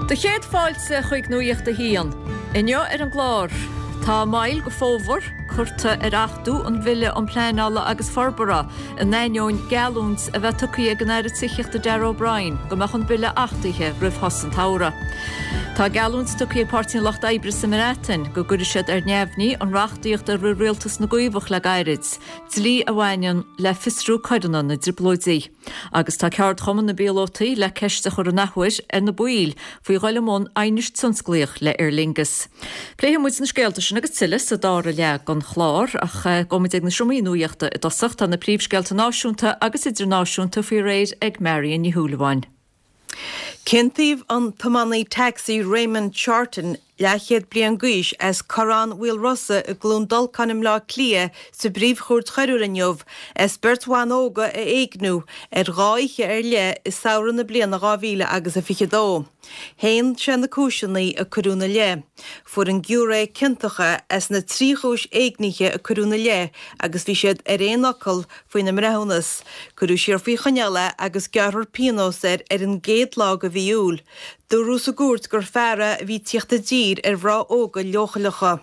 Do chéad fáilte chuig Nuacht a hAon. Inniu ar an gclár, tá moill go fómhar curtha ar achtú an Bhille um Pleanála agus Forbartha in ainneoin geallúint a bheith tugtha ag an Aire Tithíochta Darragh O'Brien go mbeadh an bille achtaithe roimh shos an tsamhraidh. Tá geallúint tugtha ag Páirtí an Lucht Oibre sa mBreatain go gcuirfidh siad ar neamhní an reachtaíocht a rith rialtas na gCaomhach le gairid, dlí a bhaineann le fiosrú coireanna na dTrioblóidí. Agus tá ceardchumann na bpíolótaí le ceist a chur an athuair ar na baill faoi dhul i mbun aighnis tionsclaíoch le Aer Lingus. Pléifidh muid na scéalta sin agus tuilleadh sa dara leath den chlár, ach gabhfaidh muid ag na seomraí nuachta i dtosach. Tá na príomhscéalta náisiúnta agus idirnáisiúnta faoi réir ag Marion Ní Shúilleabháin. Ciontaíodh an tiománaí tacsaí Raymond Shorten, leathchéad bliain d'aois, as Corrán Mhaolrosa i gCluain Dolcáin i mBleá Cliath sa bPríomh-Chúirt Choiriúil inniu as beirt bhan óga a éigniú ar dhá oíche ar leith i samhradh na bliana 2000 agus a 22. Shéan sé na cúiseanna a cuireadh ina leith. Fuair an giúiré ciontach é as na trí chúis éignithe a cuireadh ina leith agus bhí siad ar aon fhocal faoina mbreithiúnas. Cuireadh siar faoi choinneáil é agus gearrfar pionós air ar an gcéad lá de mhí Iúil. Dúradh sa gcúirt gur fear é a bhí ag tíocht i dtír ar mhná óga leochaileacha.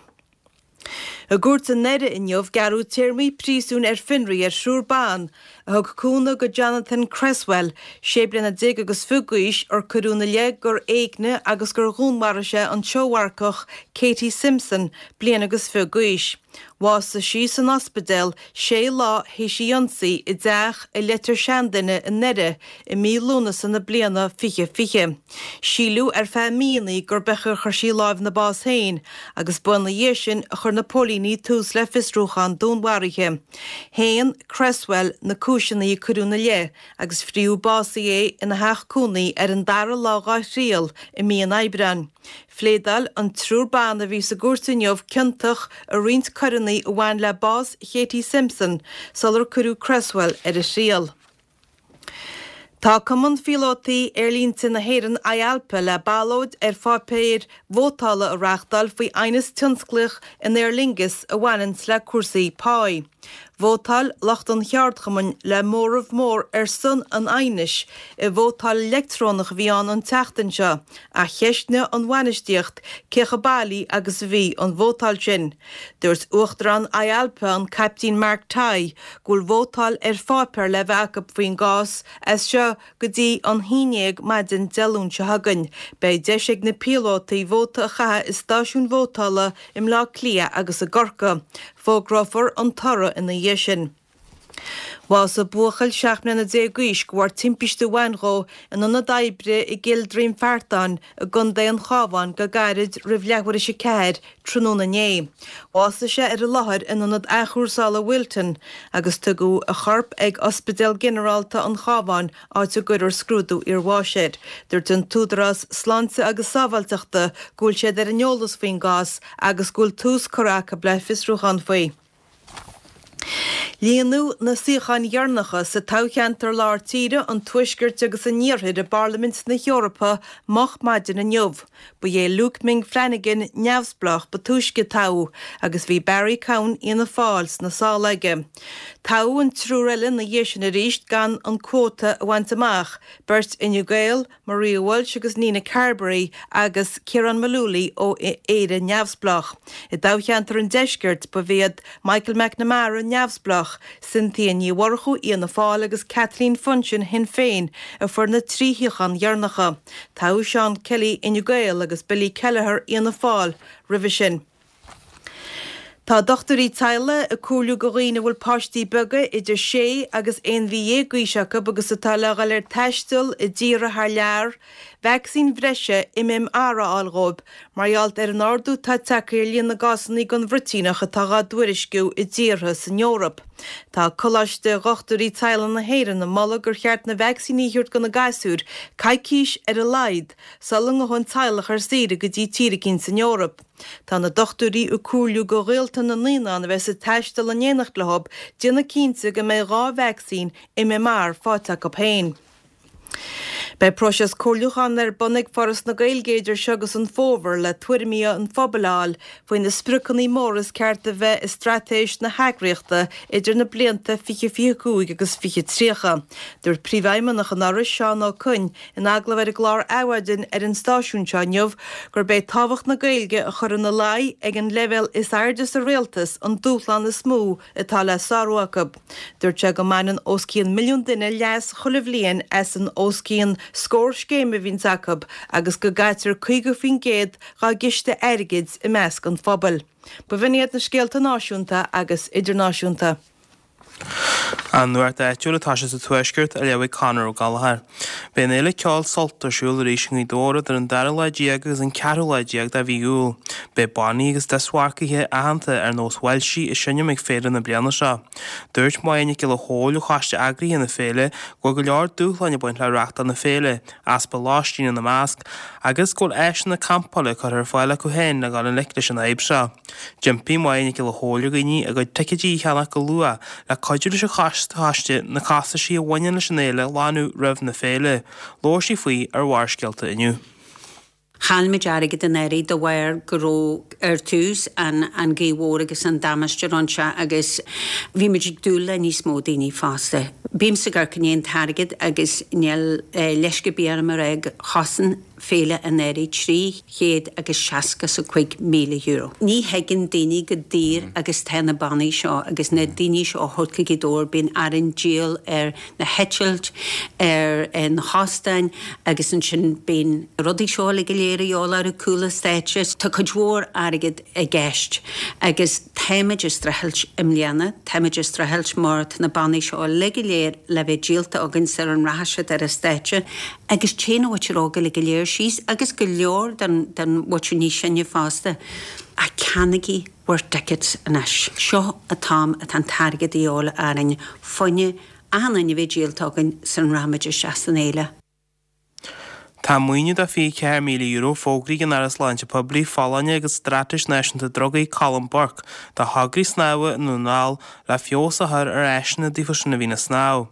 I gcúirt i nDoire inniu, gearradh téarmaí príosúin ar fionraí ar thriúr ban a thug cúnamh go Jonathan Cresswell, sé bliana déag agus fiche d'aois, ar cuireadh ina leith gur éignigh agus gur dhúnmharaigh sé an seómharcach Katie Simpson, bliain agus fiche d'aois. Bhásaigh sí san ospidéal sé lá théis an ionsaí i dteach i Leitir Seanduine i nDoire i mí Lúnasa na bliana 2020. Síleadh ar feadh míonna gurb é gur chuir sí láimh ina bás féin agus ba ina dhiaidh sin a chuir na póilíní tús le fiosrúchán dúnmharaithe. Shéan Cresswell na cúiseanna a cuireadh ina leith agus fritheadh básaithe é ina theach cónaí ar an dara lá dhá thriail i mí an Aibreáin. Phléadáil an triúr ban a bhí sa gcúirt inniu ciontach i roinnt coireanna a bhain le bás Katie Simpson sular cuireadh Cresswell ar a thriail. Tá Cumann Phíolótaí Aerlínte na hÉireann, IALPA, le ballóid ar pháipéir vótála a reáchtáil faoi aighneas tionsclaíoch in Aer Lingus a bhaineanns le cúrsaí páí. Vótáil lucht an cheardchumainn le móramh mór ar son an aighnis i vótáil leictreonach a bhí ann an tseachtain seo ach cheistnigh an bhainistíocht cé chomh bailí agus a bhí an vótáil sin. Dúirt Uachtarán IALPA, an Caiptín Mark Tighe, go bhfuil vótáil ar pháipéar le bheith acu faoin gcás as seo go dtí an haon dhéag maidin Dé Luain seo chugainn. Beidh deis ag na píolótaí vóta a chaitheamh i stáisiúin vótála i mBleá Cliath agus i gCorcaigh. Fógrófar an toradh ina dhiaidh sin. Bhásaigh buachaill 17 mbliana d'aois de bharr timpiste a bhain dhó in ionad oibre i gCill Droim Feartáin i gContae an Chabháin go gairid roimh leathuair théis a ceathair tráthnóna inné. Bhásaigh sé ar an láthair in ionad athchúrsála Wilton agus tugadh a chorp ag Ospidéal Ginearálta an Chabháin áit a gcuirfear scrúdú iarbháis air. Dúirt an tÚdarás Sláinte agus Sábháilteachta go bhfuil siad ar an eolas faoin gcás agus go bhfuil tús curtha acu le fiosrúchán faoi. Líonadh na suíocháin dheireanacha sa toghcheantar Lár Tíre, an Tuaiscirt agus an Iarthair i bParlaimint na hEorpa moch maidin inniu. Ba é Luke Ming Flanagan, Neamhspleách, ba túisce a toghadh agus bhí Barry Cowen, Fhianna Fáil, sna sála aige. Toghadh an triúr eile ina dhiaidh sin arís gan an cuóta a bhaint amach, beirt Fhine Gael, Maria Walsh agus Nina Carberry agus Ciarán Mullooly ó Éire Neamhspleách. I dtoghcheantar an Deiscirt, ba iad Michael McNamara, Neamhspleách, Cynthia Ní Mhurchú, Fhianna Fáil, agus Kathleen Funchion, Shinn Féin, a fuair na trí shuíochán dheireanacha. Toghadh Seán Kelly, Fhine Gael, agus Billy Kelleher, Fhianna Fáil, roimhe sin. Tá dochtúirí teaghlaigh ag comhairliú go dhaoine a bhfuil páistí beaga idir sé agus aon mhí dhéag d'aois acu agus atá le dhul ar taisteal i dtíortha thar lear, vacsaín bhreise MMR a fháil dhóibh mar gheall ar an ardú atá tagtha ar líon na gcásanna den bhruitíneach atá dhá dtuairisciú i dtíortha san Eoraip. Tá Coláiste Dhochtúirí Teaghlaigh na hÉireann ag moladh gur cheart na vacsaíní a thabhairt do na gasúir coicís ar a laghad sula ngabhfaidh an teaghlach ar saoire go dtí tír eicínt san Eoraip. Tá na dochtúirí ag comhairliú go ghaolta na naíonán a bheas ag taisteal in éineacht leo déanamh cinnte go mbeidh 2 vacsaín MMR faighte acu féin. Beidh próiseas comhairliúcháin ar bun ag Foras na Gaeilge idir seo agus an fómhar le tuairimí an phobail a fháil faoi na spriocanna móra is ceart a bheith i straitéis na heagraíochta idir na blianta 2025 agus 2030. Dúirt Príomhfheidhmeannach an Fhorais, Seán Ó Coinn, in agallamh ar an gclár Adhmhaidin ar an stáisiún seo inniu gurb é tábhacht na Gaeilge a chur ina luí ag an leibhéal is airde sa rialtas an dúshlán is mó atá le sárú acu. Dúirt sé go mbaineann os cionn milliún duine leas chuile bhliain as an os cionn scór scéim a bhíonns acu agus go gcaitear 50% dhá gciste airgid i measc an phobail. B'in iad na scéalta náisiúnta agus idirnáisiúnta. An nuacht áitiúil atá sé sa Tuaisceart á léamh ag Conor Ó Gallchóir. Beidh an fhéile ceoil Sult ar siúl arís i nGaoth Dobhair idir an dara lá déag agus an ceathrú lá déag de mhí Iúil. Beidh bannaí agus dioscmharcaithe aitheanta ar nós Walshy ag seinm ag féile na bliana seo. Dúirt Máire Nic Giolla Chóill ó choiste eagraithe na féile go bhfuil go leor dúshláin ag baint le reachtáil na féile, easpa lóistín ina measc, agus go bhfuil áiseanna campála curtha ar fáil acu féin le dhul i ngleic leis an fhadhb seo. D'impigh Máire Nic Giolla Chóill ar dhaoine a gcuid ticéidí a cheannach go luath le cuidiú leis an choiste na costaisí a bhaineann leis an fhéile a shlánú roimh na féile. Labhair sí faoi ar Bharrscéalta inniu. Chaill muid airgead anuraidh de bharr go raibh ar tús an an ghaoth mhór agus an damáiste a rinne sé agus bhí muid ag dúil le níos mó daoine fosta. Bímse ag amharc i ndiaidh an t-airgead agus níl leisce ar bith orm a rá gur chosain Féile anuraidh €365,000. Ní thuigeann daoine chomh daor agus tá na bannaí seo agus na daoine seo a thabhairt go Gaoth Dobhair, bíonn orainn díol ar na heitilt, ar na hóstáin agus ansin bíonn na rudaí seo uilig go léir a dhíobháil orthu, cúl an stáitse. Tá cuid mhór airgead i gceist agus táimid ag streachailt i mbliana, táimid ag streachailt mar tá na bannaí seo uilig go léir le bheith díolta againn sar a rachaidh siad ar an stáitse. Agus téann an mhuintir óg uilig go léir síos agus go leor den den mhuintir níos sine fosta. Ach ceannaigí bhur dtickets anois. Seo an t-am atá an t-airgead a dhíobháil orainn fá choinne achan duine a bheith díolta againn sar a rachaimid isteach san fhéile. Tá maoiniú de €24,000 fógraithe ag an Aire Sláinte Poiblí, Folláine agus Straitéis Náisiúnta Drugaí, Colm Burke, do thograí snámha i nDún na nGall le feabhas a chur ar áiseanna daofa sin a bhíonn ag snámh.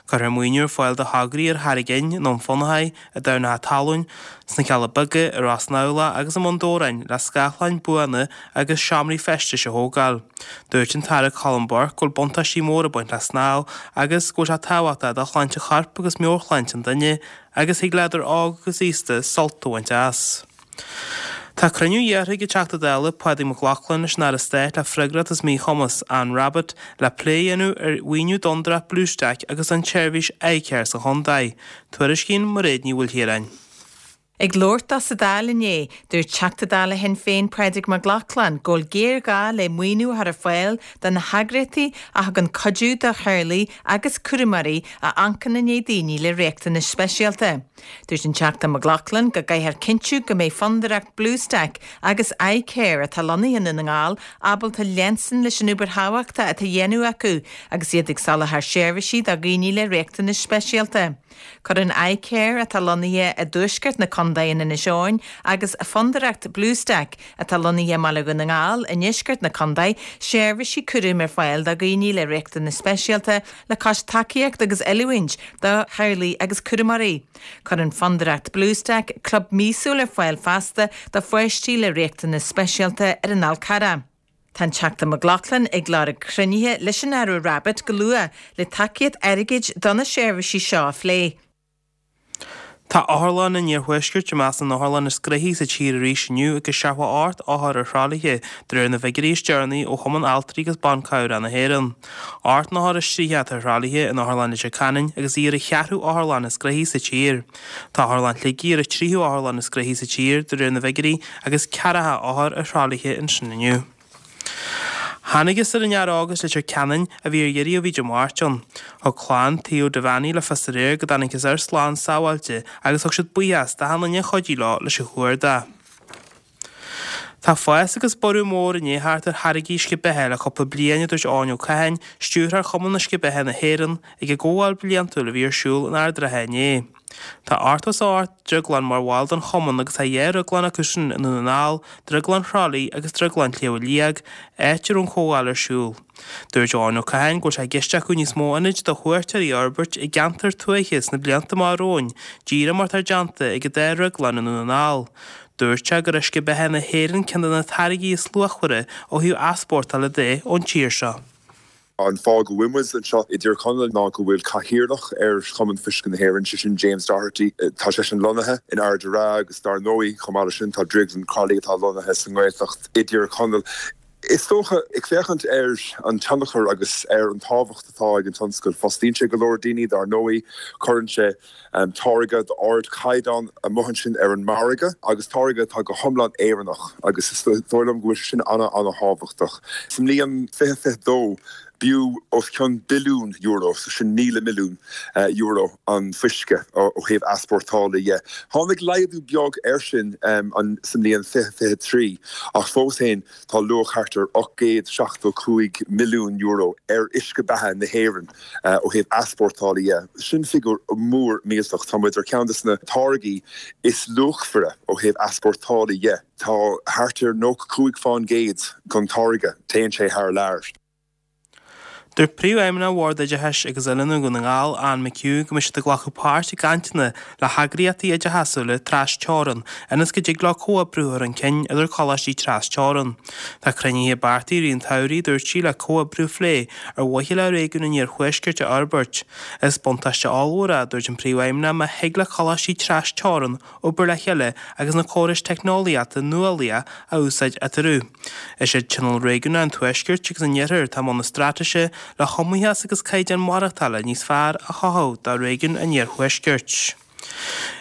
Cuirfear maoiniú ar fáil do thograí ar Charraig Fhinn, i nDún Fionnachaidh, i dTamhnach Talún, sna Cealla Beaga, i Ros na agus i mBun Dobhráin le scáthláin buana agus seomraí feistis a thógáil. Dúirt an tAire Colm Burke go bhfuil buntáistí móra ag baint le snámh agus go bhfuil sé tábhachtach do shláinte choirp agus meabhairshláinte an duine agus thig le idir óg agus aosta sult a bhaint as. Tá cruinniú iarrtha ag an Teachta Dála Pádraig Mac Lochlainn leis an Aire Stáit le freagracht as Míchumas, Anne Rabbitte, le plé a dhéanamh ar mhaoiniú d'Fhondúireacht Bluestaq agus don tseirbhís iCare sa chontae. Tuairiscíonn Mairéad Ní Mhaoilchiaráin. Ag labhairt dó sa Dáil inné, dúirt Teachta Dála Shinn Féin Pádraig Mac Lochlainn go bhfuil géarghá le maoiniú a chur ar fáil do na heagraíochtaí a thugann cuidiú do theaghlaigh agus cúramóirí a amharcann i ndiaidh daoine le riachtanais speisialta. Dúirt an Teachta Mac Lochlainn go gcaithfear cinntiú go mbeidh Fondúireacht Bluestaq agus iCare atá lonnaithe i nDún na nGall ábalta leanstan leis an obair thábhachtach atá á dhéanamh acu agus iad ag soláthar seirbhísí do dhaoine le riachtanais speisialta. Cuireann iCare atá lonnaithe i dtuaisceart na contae in Inis Eoghain agus Fondúireacht Bluestaq atá lonnaithe i mBaile Dhún na nGall i ndeisceart na contae, seirbhísí cúraim ar fáil do dhaoine le riachtanais speisialta le cois tacaíocht agus oiliúint do theaghlaigh agus cúramóirí. Cuireann Fondúireacht Bluestaq club míosúil ar fáil feasta do pháistí le riachtanais speisialta ar an Fhál Carrach. Tá an Teachta Mac Lochlainn ag lorg cruinnithe leis an Aire Rabbitte go luath le tacaíocht airgid do na seirbhísí seo a phlé. Tá otharlann an Iarthuaiscirt i measc na n-otharlann is gnoithí sa tír arís inniu agus 78 othar ar thralaithe, de réir na bhfigiúirí is deireanaí ó Chumann Altraí agus Ban Cabhrach na hÉireann. 8 n-othar is 30 atá ar thralaithe in Otharlann Leitir Ceanainn agus í ar an cheathrú otharlann is gnoithí sa tír. Tá Otharlann Shligigh ar an tríú otharlann is gnoithí sa tír, de réir na bhfigiúirí, agus 40 othar ar thralaithe ansin inniu. Thángthas ar an fhear óg as Leitir Ceanainn a bhí ar iarraidh ó bhí Dé Máirt ann. Thug clann Theo Devaney le fios aréir go dtángthas air slán sábháilte agus thug siad buíochas d'achan duine a chuidigh leo leis an chuardach. Tá fás agus borradh mór i ndiaidh theacht ar tháirgí uisce beatha le cúpla bliain, a dúirt Eoin Ó Catháin, Stiúrthóir Chumann Uisce Beatha na hÉireann, ag an gcomhdháil bliantúil a bhí ar siúl in Ard an Rátha inné. Tá 88 drioglann mar bhaill den chumann agus tá 2 dhrioglann acusan i nDún na nGall, Drioglann Thrá Lí agus Drioglann Shliabh Liag, áit a raibh an chomhdháil ar siúl. Dúirt Eoin Ó Catháin go bhfuil sé i gceist acu níos mó ionaid do chuairteoirí a fhorbairt i gceantair tuaithe sna blianta amach romhainn, díreach mar atá déanta ag an dá dhrioglann i nDún na nGall. Dúirt sé gur uisce beatha na hÉireann ceann de na táirgí is luachmhaire ó thaobh easpórtála de ón tír seo. An fáth go bhfuil muid anseo i dTír Chonaill ná go bhfuil cathaoirleach ar Chumann Fuisce na hÉireann, sé sin James Doherty. Tá seisean lonnaithe in Ard an Rátha agus dar ndóigh, chomh maith leis sin, tá Drioglann Crolly atá lonnaithe sa nGaeltacht i dTír Chonaill. Is dócha, ag féachaint ar an tionchar agus ar an tábhacht atá ag an tionscal, fostaíonn sé go leor daoine, dar ndóigh, cuireann sé táirge d'ardchaighdeán amuigh ansin ar an margadh agus táirge atá go hiomlán Éireannach agus is dóigh liom go bhfuil sé sin ana-ana-thábhachtach. Sa mbliain 2022, b'fhiú os cionn billiún euro, so sin €1,000 milliún, an fuisce ó thaobh easpórtála dhe. Tháinig laghdú beag air sin sa mbliain 2023 ach fós féin tá luach thart ar €875 milliún ar uisce beatha na hÉireann ó thaobh easpórtála dhe. Sin figiúr mór millteach. Tá muid ar cheann de na táirgí is luachmhaire ó thaobh easpórtála dhe. Tá thart ar 95 fán den táirge, téann sé thar lear. Dúirt Príomhfheidhmeannach Bhord Oideachais agus Oiliúna Dhún na nGall, Anne McHugh, go mbeidh siad ag glacadh páirt i gcainteanna le heagraíochtaí oideachasúla tras teorann ionas go dtig leo comhoibriú a chur chun cinn idir coláistí tras teorann. Tá cruinnithe beartaithe i rith an tsamhraidh, dúirt sí, le comhoibriú a phlé ar mhaithe le réigiún an Iarthuaiscirt a fhorbairt. Is buntáiste ollmhór é, a dúirt an Príomhfheidhmeannach, má thig le coláistí tras teorann obair le chéile agus na córais teicneolaíochta nuálaíocha a úsáid eatarthu. Is iad Tionól Réigiúnach an Tuaiscirt agus an Iarthair atá i mbun na straitéise le hiomaíochas agus caighdeán maireachtála níos fearr a chothú do réigiún an Iarthuaiscirt.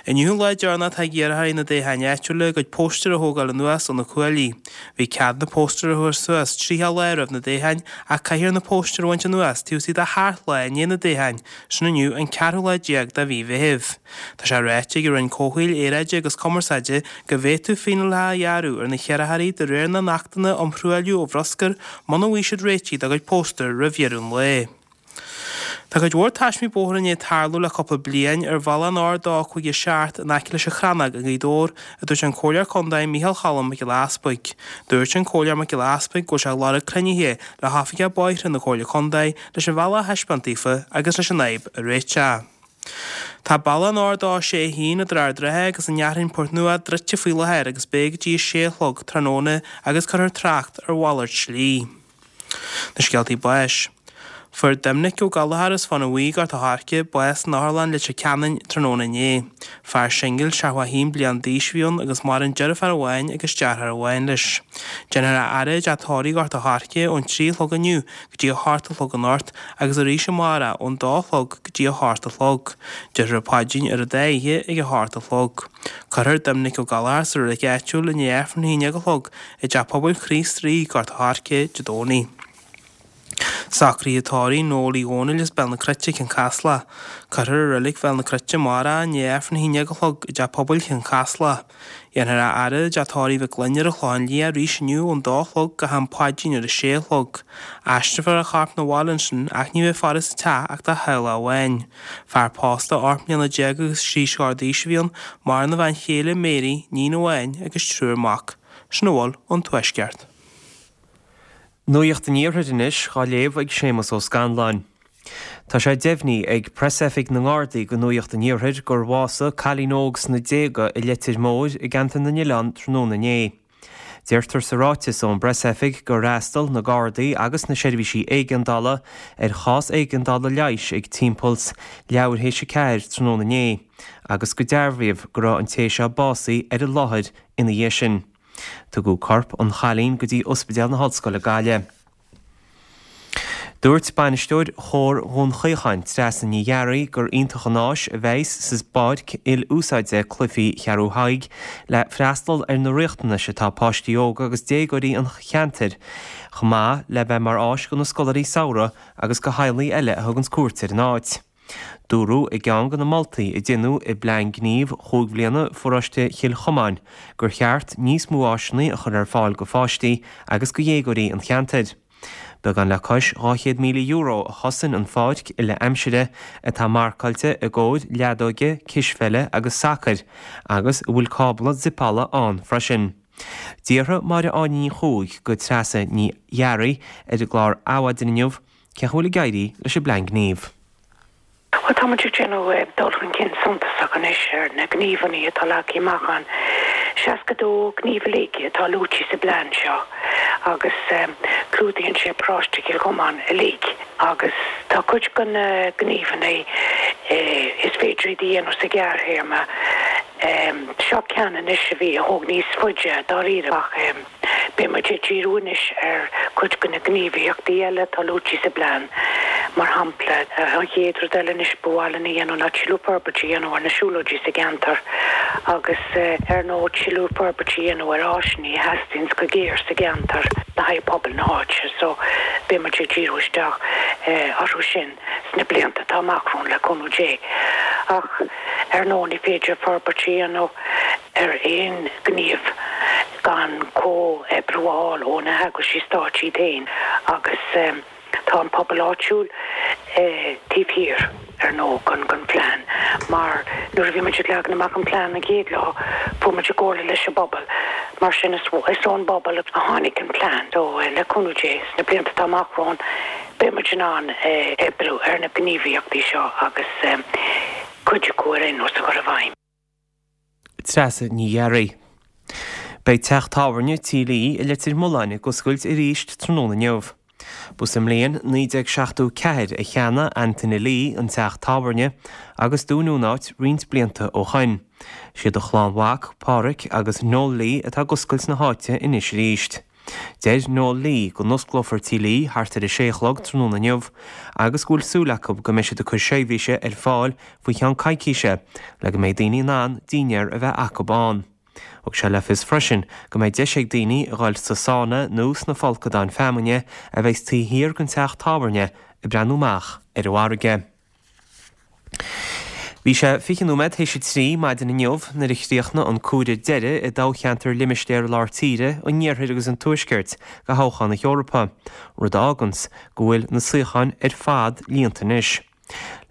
Inniu an lá deireanach atá ag iarrthóirí na dtoghcháin áitiúla a gcuid póstaer a thógáil anuas ó na cuaillí. Bhí cead na póstaeir a thabhairt suas 30 lá roimh na toghcháin ach caithfear na póstaeir a bhaint anuas taobh istigh de sheacht lá i ndiaidh na dtoghcháin, sin inniu an ceathrú lá déag de mhí Mheithimh. Tá sé ráite ag an Roinn Comhshaoil, Aeráide agus Cumarsáide go bhféadfadh fíneálacha a ghearradh ar na hiarrthóirí de réir na nAchtanna um Thruailliú ó Bhruscar muna bhfaighidh siad réitigh dá gcuid póstaer roimh dheireadh an lae. Tá cuid mhór taismí bóthair i ndiaidh tarlú le cúpla bliain ar bhealach an R257 in aice leis an Chrannóg i nGaoth Dobhair, a dúirt an Comhairleoir Contae Micheál Cholm Mac Giolla Easpaig. Dúirt an Comhairleoir Mac Giolla Easpaig go bhfuil sé ag lorg cruinnithe le hoifigeach bóithre na Comhairle Contae leis an bhealach a thaispeáint daofa agus leis an fhadhb a réiteach. Tá bealach an R261 idir Ard an Rátha agus an Fhearthainn Port Nua druidte faoi láthair agus beidh go dtí 6 a chlog tráthnóna agus cuirfear trácht ar mhalairt slí. Na scéaltaí báis. Fuair Doimnic Ó Gallchóir as Fána Bhuí, Gort a' Choirce, bás in Otharlann Leitir Ceanainn tráthnóna inné. Fear singil, 71 bliain d'aois a bhí ann agus maireann deirfiúr amháin agus deartháir amháin leis. Déanfar a fhaire i dteach tórraimh Ghort a' Choirce ón 3 a chlog inniu go dtí a hocht a chlog anocht agus arís amárach ón dó a chlog go dtí a hocht a chlog. Déarfar an paidrín ar an dá oíche ag a hocht a chlog. Cuirfear Doimnic Ó Gallchóir sa reilig áitiúil i ndiaidh Aifreann a haon déag a chlog i dTeach Pobail Chríost Rí, Gort a' Choirce, Dé Domhnaigh. Socruithe tórraimh Noel Uí Dhónaill as Béal na Cruite, Cionn Caslach. Cuirfear i reilig Bhéal na Cruite amárach i ndiaidh Aifreann a haon déag a chlog i dTeach Pobail Chionn Caslach. Dhéanfar a fhaire i dteach tórraimh Mhic Fhloinn ar an Chlochán Liath arís inniu ón dó a chlog go ham paidrín ar a sé a chlog. Aistreofar a chorp 'na bhaile ansin ach ní bheidh faire sa teach ach dá theaghlach amháin. Fear pósta 18 mbliana agus thrí scór d'aois a bhí ann, maireann a bhean chéile, Mary, níon amháin agus triúr mac. Sin a bhfuil ón Tuaisceart. Nuacht an Iarthair anois dhá léamh ag Séamus Ó Scanláin. Tá sé deimhnithe ag Preas-Oifig na nGardaí go Nuacht an Iarthair gur bhásaigh cailín óg sna déaga i Leitir Móir i gCeantar na nOileán tráthnóna inné. Deirtear sa ráiteas ón bPreas-Oifig gur fhreastail na Gardaí agus na seirbhísí éigeandála ar chás éigeandála leighis ag timpeall leathuair théis 4 tráthnóna inné agus go dearbhaíodh go raibh an té seo básaithe ar an láthair ina dhiaidh sin. Tugadh corp an chailín go dtí Ospidéal na hOllscoile Gaillimh. Dúirt bainisteoir Chór Dhún Chaocháin, Treasa Ní Ghearraigh, gur iontach an áis a bheas sa bpáirc il-úsáide cluichí Cheathrú Thaidhg le freastal ar na riachtanais atá páistí óga agus déagóirí an cheantair, chomh maith le bheith mar áis do na scoláirí samhraidh agus do theaghlaigh eile a thuganns cuairt ar an áit. Dúradh i gceann de na moltaí a deineadh i bPlean Gnímh chúig bhliana Pharóiste Chill Chomáin gur cheart níos mó áiseanna a chur ar fáil go pháistí agus go dhéagóirí an cheantair. Beagán le cois €200,000 a chosain an pháirc uile-aimsire atá marcáilte i gcomhair leadóige, cispheile agus sacair agus a bhfuil cábla zipeála ann freisin. D'fhiafraigh Máire Áine Ní Chuaig go Treasa Ní Fhearraigh ar an gclár Adhmhaidin inniu cén chaoi a bhfuil ag éirí leis an bplean gnímh. Bhuel, tá muid ag déanamh dul chun cinn suntasach anois ar na gníomhanna atá leagtha amach ann. 62 gníomh uilig atá luaite sa bplean seo agus clúdaíonn sé paróiste Chill Chomáin uilig agus tá cuid de na gníomhanna is féidir iad a dhéanamh sa ghearrthéarma. Seo ceann anois a bhí a thóg níos faide dáiríre ach. Beidh muid ag díriú anois ar chuid de na gníomhaíochtaí eile atá luaite sa bplean. Mar shampla, an chéad rud eile anois ba mhaith linn a dhéanamh ná tuilleadh forbairt a dhéanamh ar na siúlóidí sa gceantar agus ar ndóigh tuilleadh forbairt a dhéanamh ar áiseanna a theastaíonns go géar sa gceantar le haghaidh pobal na háite. So, beidh muid ag díriú isteach orthu sin sna blianta atá amach romhainn le cúnamh Dé. Ach ar ndóigh ní féidir forbairt a dhéanamh ar aon ghníomh gan comhoibriú a fháil ó na heagraisí stáit iad féin agus tá an pobal áitiúil taobh thiar, ar ndóigh, den phlean mar nuair a bhí muid ag leagan amach an plean an chéad lá fuair muid i gcomhairle leis an bpobal mar sin is ón bpobal a tháinig an plean. So le cúnamh Dé sna blianta atá amach romhainn beidh muid in ann oibriú ar na gníomhaíochtaí seo agus cuid acu ar aon nós a chur i bhfeidhm. Treasa Ní Fhearraigh. Beidh teach tábhairne Tí Lee i Leitir Mealláin ag oscailt arís tráthnóna inniu. Ba sa mbliain 1974 a cheannaigh Anthony Lee an teach tábhairne agus dúnadh an áit roinnt blianta ó shoin. Siad a chlann mhac, Páraic agus Noel Lee atá ag oscailt na háite anois arís. Deir Noel Lee go n-osclófar Tí Lee thart ar a sé a chlog tráthnóna inniu agus go bhfuil súil acu go mbeidh siad ag cur seirbhíse ar fáil faoi cheann coicíse le go mbeidh daoine in ann dinnéar a bheith acu ann. Thug sé le fios freisin go mbeidh deis ag daoine a dhul sa sauna nó sna folcadáin feamainne a bheidh taobh thiar den teach tábhairne ag breathnú amach ar an bhfarraige. Bhí sé 20 nóiméad théis a 3 maidin inniu nuair a chríochnaigh an comhaireamh deiridh i dtoghcheantar Limistéar Lár Tíre, an Iarthair agus an Tuaiscirt do thoghchán na hEorpa, rud a fháganns go bhfuil na suíocháin ar fad líonta anois.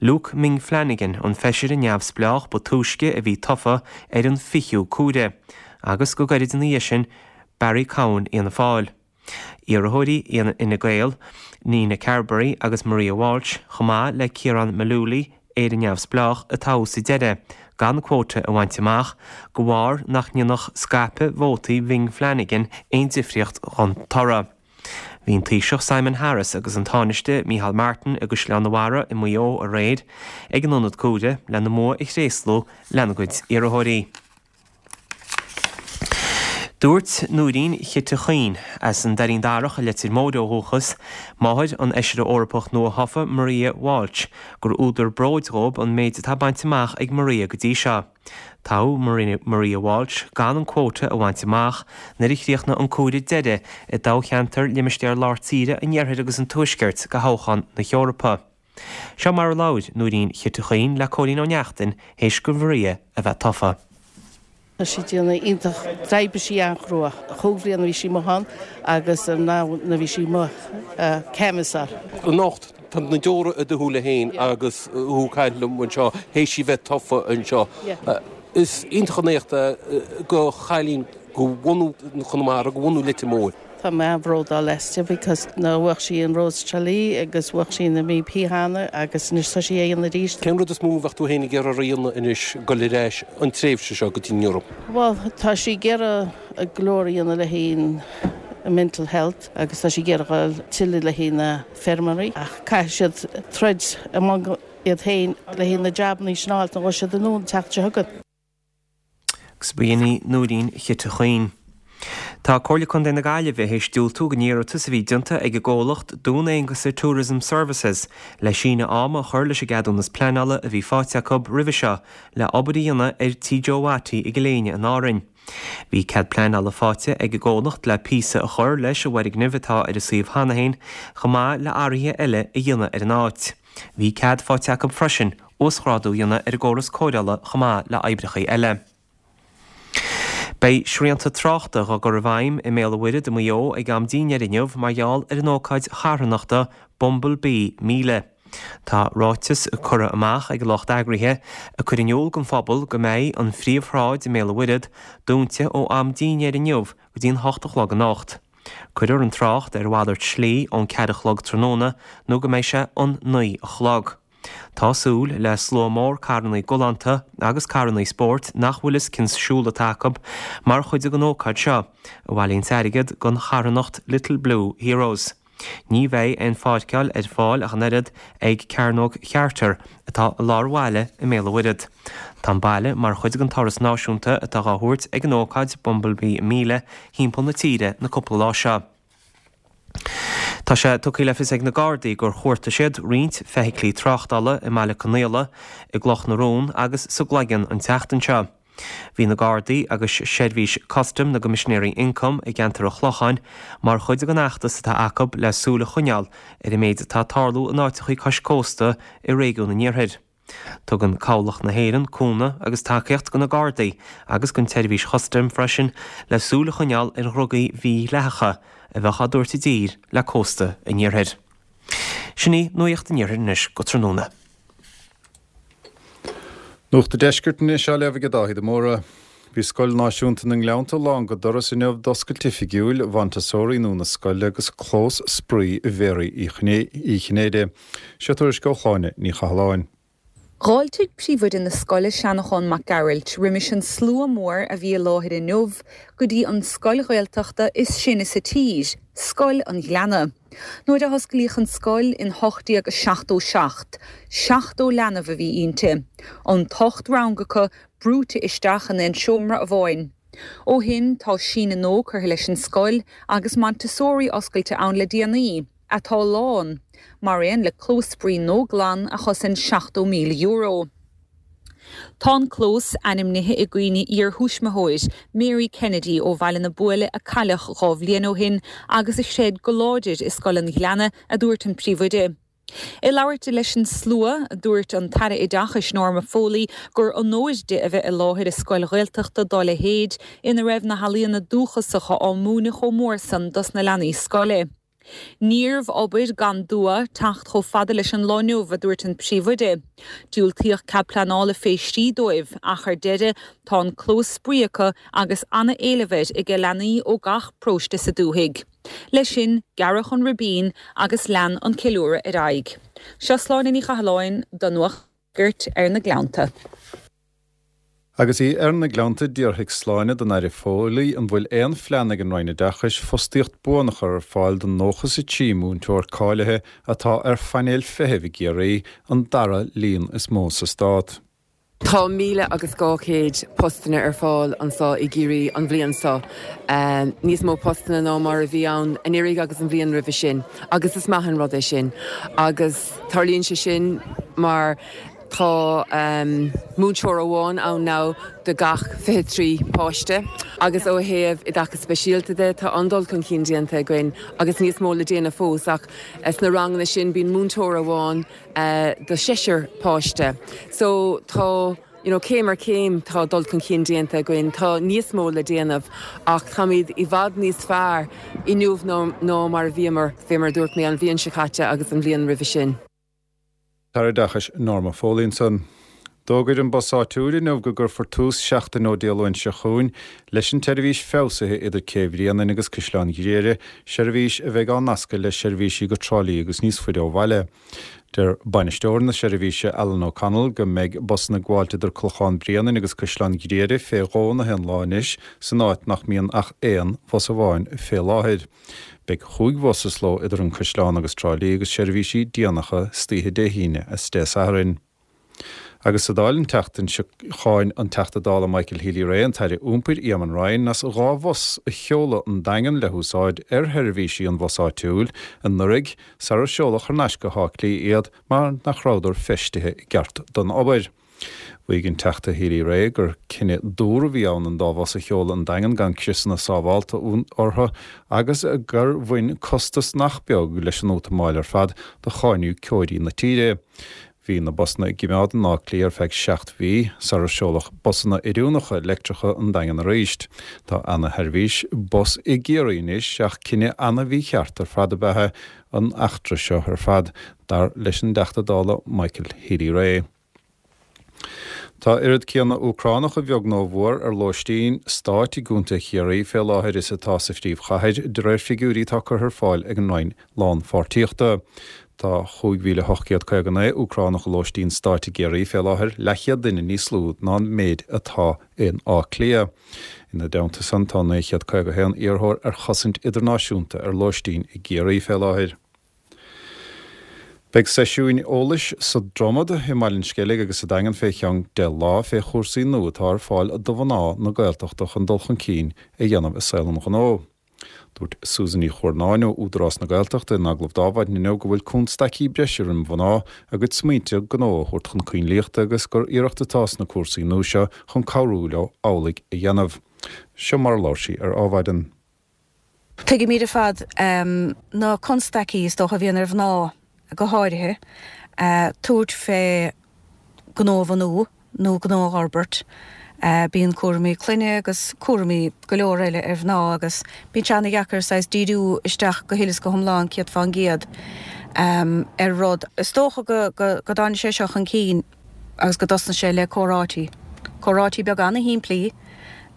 Luke Ming Flanagan, an feisire neamhspleách ba túisce a bhí tofa ar an 20ú comhaireamh, agus go gairid ina dhiaidh sin, Barry Cowen Fhianna Fáil. Iarrthóirí Fhine Gael, Nina Carberry agus Maria Walsh, chomh maith le Ciarán Mullooly, Éire Neamhspleách, a toghadh sa deireadh, gan quota a bhaint amach, de bharr nach ndéanfadh scaipeadh vótaí Mhing Flanagan aon difríocht don toradh. Bhí an Taoiseach Simon Harris agus an Tánaiste Micheál Martin i gCaisleán an Bharraigh i Maigh Eo aréir ag an ionad comhairimh lena mbua a thréaslú lena gcuid iarrthóirí. Dúirt Nóirín Chite Chuinn, as an Doirín Darach i Leitir Móir ó dhúchas, máthair an Fheisire Eorpach nua-thofa Maria Walsh, gur údar bróid dhóibh an méid atá bainte amach ag Maria go dtí seo. Toghadh Maria Walsh gan an quota a bhaint amach nuair a chríochnaigh an comhaireamh deiridh i dtoghcheantar Limistéar Lár Tíre an Iarthair agus an Tuaiscirt do thoghchán na hEorpa. Seo mar a labhair Nóirín Chite Chuinn le Cóilín Ó Neachtain théis do Mharia a bheith tofa. Tá sí ag déanamh iontach. D'oibrigh sí an-chrua. Chúig bhliana a bhí sí amuigh ann agus an am a bhí sí amuigh canvassáil. Anocht tá na deora i do shúile féin agus thú ag caint liom anseo théis í bheith tofa anseo. Is iontach an éacht é do chailín de bhunú Chonamara, de bhunú Leitir Móir. Tá mé an-bhródúil aisti because now bhuaigh sí an Rós Tralee agus bhuaigh sí an MEP cheana agus anois tá sí á dhéanamh arís. Cén rud is mó a bheadh tú féin ag iarraidh a dhéanamh anois dul ar ais an tréimhse seo go dtí an Eoraip? Bhuel, tá sí ag iarraidh go leor a dhéanamh le haghaidh an mental health agus tá sí ag iarraidh dul tuilleadh le haghaidh na feirmeoirí ach caithfidh siad troid among iad féin le haghaidh na jabannaí sin a fháilt nó gheobhaidh siad anonn an tseachtain seo chugainn. Agus ba shin í Nóirín Chite Chuinn. Tá Comhairle Contae na Gaillimhe théis diúltú don iarratas a bhí déanta ag an gcomhlacht Dún Aonghasa Tourism Services le síneadh ama a chur leis an gceadúnas pleanála a bhí faighte acu roimhe seo le obair a dhéanamh ar Tí Joe Watty i gCill Éinne in Árainn. Bhí cead pleanála faighte ag an gcomhlacht le píosa a chur leis an bhfoirgneamh atá ar an suíomh cheana féin chomh maith le athruithe eile a dhéanamh ar an áit. Bhí cead faighte acu freisin uasghrádú a dhéanamh ar an gcóras cóireála chomh maith le oibreacha eile. Beidh srianta tráchta dhá gcur i bhfeidhm i mBéal an Mhuirthead i Maigh Eo ag am dínnéir inniu mar gheall ar an ócáid charthanachta Bumble Bee 1000. Tá ráiteas curtha amach ag an lucht eagraithe ag cur in iúl don phobal go mbeidh an phríomhshráid i mBéal an Mhuirthead dúnta ó am dínnéir inniu go dtí an hocht a chlog anocht. Cuirfear an trácht ar mhalairt slí ón ceathair a chlog tráthnóna nó go mbeidh sé an 9 a chlog. Tá súil le slua mór carrannaí galánta agus carrannaí spóirt nach bhfuil fhios cén siúl atá acu mar chuid den ócáid seo, a bhailíonns airgead don charthanacht Little Blue Heroes. Ní bheidh aon pháirceáil ar fáil ach an oiread ag Cearnóg Charter atá i lár bhaile i mBéal an Mhuirthead. Tá an baile mar chuid den turas náisiúnta atá dhá thabhairt ag an ócáid Bumblebee 1000 thimpeall na tíre na cúpla lá seo. Tá sé tugtha le fios ag na Gardaí gur chuartaigh siad roinnt feithiclí tráchtála i mBaile Conaola, i gCloch na Rón agus sa gCloigeann an tseachtain seo. Bhí na Gardaí agus Seirbhís Custaim na gCoimisinéirí Ioncaim i gceantar an Chlocháin mar chuid den fheachtas atá acu le súil a choinneáil ar an méid atá ag tarlú in áiteachaí cois cósta i réigiún an iarthair. Tugann Cabhlach na hÉireann cúnamh agus tacaíocht do na Gardaí agus don tSeirbhís Chustaim freisin le súil a choinneáil ar dhrugaí mhídhleathacha a bheadh á dtabhairt i dtír le cósta an iarthair. Sin í Nuacht an Iarthair anois go tráthnóna. Nuacht an Deiscirt anois á léamh ag Dáithí de Mórdha. Bhí Scoil Náisiúnta na nGleannta lán go doras inniu d'oscailt oifigiúil Mhontessori nua na scoile agus clós spraoi Mhéaraí Uí Chinnéide. Seo tuairisc ó Shláine Ní Chathalláin. Dh'fháiltigh príomhoide na scoile Seanachán Mac Gearailt roimis an slua mór a bhí i láthair inniu go dtí an scoil Ghaeltachta is sine sa tír, Scoil an Ghleanna. Nuair a hosclaíodh an scoil in 1877, 70 leanbh a bhí inti, an t-ocht rang acu brúite isteach in aon seomra amháin. Ó shin tá síneadh nua curtha leis an scoil agus Montessori oscailte ann le déanaí, atá lán, mar aon le clós spraoi nua glan a chosain €70,000. Tá an clós ainmnithe i gcuimhne iarthuismitheoir, Mary Kennedy ó Bhaile na Buaile a cailleadh 2 bhliain ó shin agus a chreid go láidir i Scoil an Ghleanna, a dúirt an príomhoide. Ag labhairt di leis an slua, dúirt an tAire Oideachais Norma Foley gur onóir di a bheith i láthair i scoil Ghaeltachta dá leithéid ina raibh na healaíona dúchasacha á múineadh chomh mór san dos na leanaí scoile. Níorbh obair gan dua teacht chomh fada leis an lá inniu, a dúirt an príomhoide. Diúltaíodh cead pleanála fé thrí dóibh ach ar deireadh tá an clós spraoi acu agus ana-éileamh air aige leanaí ó gach paróiste sa dúthaigh. Leis sin, gearradh an ribín agus lean an ceiliúradh ar aghaidh. Seo Sláine Ní Chathalláin do Nuacht an Deiscirt ar na Gleannta. Agus í ar na Gleannta, d'fhiafraigh Sláine den Aire Foley an bhfuil aon phlean ag an Roinn Oideachais fostaíocht buan a chur ar fáil don 93 múinteoir cáilithe atá ar phainéal feithimh i gCiarraí, an dara líon is mó sa stát. Tá 1,200 postanna ar fáil anso i gCiarraí an bhliain seo, níos mó postanna ná mar a bhí ann anuraidh agus an bhliain roimhe sin, agus is maith an rud é sin. Agus tarlaíonn sé sin mar tá múinteoir amháin ann now do gach 23 páiste. Agus ó thaobh oideachas speisialta de, tá an-dul chun cinn déanta againn agus níos mó le déanamh fós ach sna ranganna sin bíonn múinteoir amháin do sheisear páiste. So tá, you know, céim ar chéim tá dul chun cinn déanta againn, tá níos mó le déanamh ach táimid i bhfad níos fearr inniu ná mar a bhíomar, fé mar a dúirt mé, an bhliain seo caite agus an bhliain roimhe sin. Aire Oideachais Norma Foley ansan. D'fhógair an bus áitiúil inniu go gcuirfear tús seachtain ó Dé Luain seo chugainn leis an tseirbhís feabhsaithe idir Cé Bhréanainn agus Caisleán Ghriaire, seirbhís a bheidh á nascadh le seirbhísí go Trá Lí agus níos faide ó bhaile. Deir bainisteoir na seirbhíse Alan O'Connell go mbeidh busanna ag gabháilt idir Clochán Bréanainn agus Caisleán Ghriaire fé dhó na haon lá anois san áit nach mbíonn ach aon bhus amháin fé láthair. Beidh chúig bhus sa sló idir an Caisleán agus Trá Lí agus seirbhísí déanacha istoíche Dé hAoine is Dé Sathairn. Agus sa Dáil an tseachtain seo cháin an Teachta Dála Michael Healy-Rae an tAire Iompair Eamon Ryan as 2 bhus a sheoladh 'on Daingean le húsáid ar sheirbhísí an bhus áitiúil anuraidh sarar seoladh thar n-ais go hÁth Cliath iad mar nach rabhadar feistithe i gceart don obair. Mhaígh an Teachta Healy-Rae gur cinneadh dúr a bhí ann an dá bhus a sheoladh an Daingean gan criosanna sábhálta orthu agus gur bhain costas nach beag leis an útamáil ar fad do cháiníocóirí na tíre. Bhí na busanna i gcimeád in Áth Cliath ar feadh 7 mhí sarar seoladh busanna oiriúnacha leictreacha an Daingean arís. Tá ana-sheirbhís bus i gCiarraí anois ach cinneadh ana-mhícheart ar fad ab ea an eachtra seo ar fad, dar leis an dTeachta Dála Michael Healy-Rae. Tá oiread céanna Úcránach a bheag nó a mhór ar lóistín stáit i gContae Chiarraí fé láthair is atá sa phríomhchathair, de réir figiúirí atá curtha ar fáil ag an Roinn Lánpháirtíochta. Tá 5,859 Úcránach i lóistín stáit i gCiarraí fé láthair, leathchéad duine níos lú ná an méid atá in Áth Cliath. Ina dteannta san, tá 951 iarrthóir ar chosaint idirnáisiúnta ar lóistín i gCiarraí fé láthair. Beidh seisiúin eolais sa Dromad, i mBaile an Sceilg agus sa Daingean fé cheann 10 lá fé chúrsaí nua atá ar fáil do mhná na Gaeltachta chun dul chun cinn a dhéanamh i saol an ghnó. Dúirt Susan Ní Chuarnáin ó Údarás na Gaeltachta in agallamh d'Adhmhaidin inniu go bhfuil constaicí breise roim mhná a gcuid smaointe gnó a thabhairt chun coinlíochta agus gur iarracht atá sna cúrsaí nua seo chun cabhrú leo amhlaidh a dhéanamh. Seo mar a labhair sí ar Adhmhaidin. Tuigimid ar fad na constaicí is dócha a bhíonn ar mhná go háirithe tabhairt fé gnó a bhunú nó gnó a dh'fhorbairt. Bíonn cúraimí clainne agus cúraimí go leor eile ar mhná agus bíonn sé ana-dheacair saghas díriú isteach go huile is go hiomlán, 100%, ar rud. Is dócha go dtáinig sé seo chun cinn. agus go dtosnaigh sé le comhráití, comhráití beaga ana-shimplí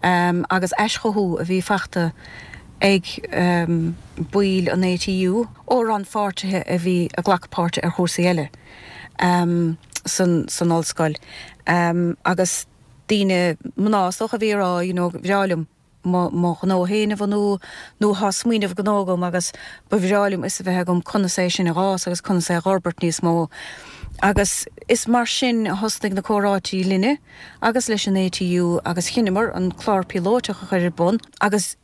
agus aischothú a bhí fachta ag baill an ATU ó rannpháirtithe a bhí ag glacadh páirte ar chúrsaí eile san ollscoil agus daoine, mná is dócha a bhí ag rá you know bhreá liom mo ghnó féin a bhunú nó tá smaoineamh gnó agam agus ba bhreá liom fhios a bheith agam conas é sin a dh'fhás agus conas é a dh'fhorbairt níos mó. Agus is mar sin a thosnaigh na comhráití linne agus leis an ATU agus chinneamar an clár píolóiteach a chur ar bun agus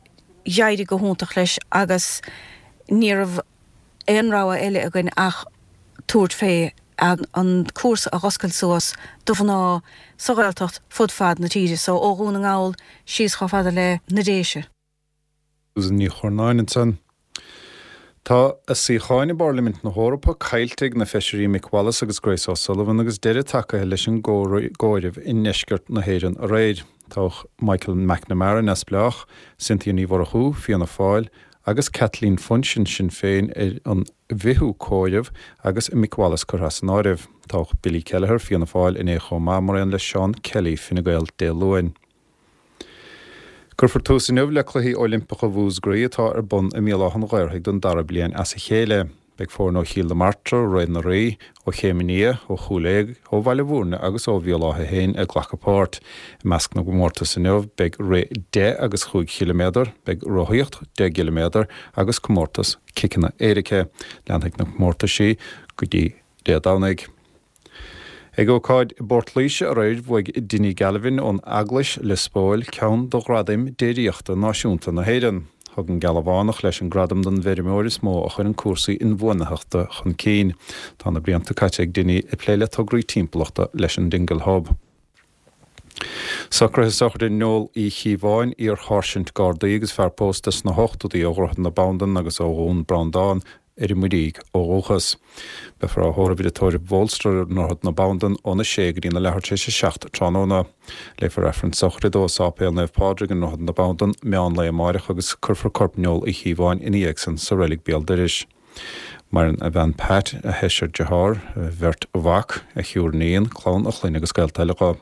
d'éirigh go hiontach leis agus ní raibh aon rogha eile againn ach tabhairt fé an cúrsa a dh'oscailt suas do mhná sa Ghaeltacht fud fad na tíre, so ó Dhún na nGall síos chomh fada le na Déise. Susan Ní Churnáin ansan. Tá a suíocháin i bPairlimint na hEorpa caillte ag na feisirí Mick Wallace agus Grace O'Sullivan agus deireadh tagaithe leis an gcomhaireamh i ndeisceart na hÉireann aréir. Toghadh Michael McNamara, Neamhspleách, Cynthia Ní Mhurchú, Fianna Fáil, agus Kathleen Funchion, Sinn Féin, ar an bhfichiú comhaireamh agus Mick Wallace curtha as an áireamh. Toghadh Billy Kelleher, Fianna Fáil, inné chomh maith, maraon le Seán Kelly, Fine Gael, Dé Luain. Cuirfear tús inniu le Cluichí Oilimpeacha Mhúscraí atá ar bun i mBéal Átha an Ghaorthaidh don dara bliain as a chéile. Beidh foirne ó Chill na Martra, ó Réad na Rí, ó Chéim an Fhia, ó Chúil Aodha, ó Bhaile Bhúirne agus ó Bhéal Átha Fhéin ag glacadh páirt. I measc na gcomórtas inniu beidh rith 10 agus 5 chiliméadar, beidh rothaíocht 10 gciliméadar agus comórtas ciceanna éirice. Leanfaidh na comórtaisí go dtí Dé Domhnaigh. Ag ócáid i bPort Laoise aréir bhuaigh Dinny Galvin ón Eaglais, Lios Póil, ceann de ghradaim déiríochta náisiúnta na hÉireann. Thug an Gealbhánach leis an gradam don bhfeirmeoir is mó a chuireann cúrsaí inbhuanaitheachta chun cinn. Tá na blianta caite ag Dinny ag plé le tograí timpeallachta leis an Dingle Hub. Socruithe sochraide Noel Uí Chíobháin, iar-sháirsint Gardaí agus fear pósta sna hochtóidí ó Dhroichead na Bandan agus ó Dhún Breandán ar an Muirígh ó dhúchas. Beifear á thórramh i dTigh Tórraimh Bholster i nDroichead na Bandan óna sé go dtí na leathuair tar éis a 7 tráthnóna. Léifear Aifreann sochraide dó i Sáipéal Naomh Pádraig i nDroichead na Bandan meán lae amáireach agus cuirfear corp Noel Uí Chíobháin ina dhiaidh san sa reilig béal dorais. Maireann a bhean Pat, a sheisear dearthár, a bheirt mhac, a thriúr iníon, clann a chlainne agus gaolta eile dho.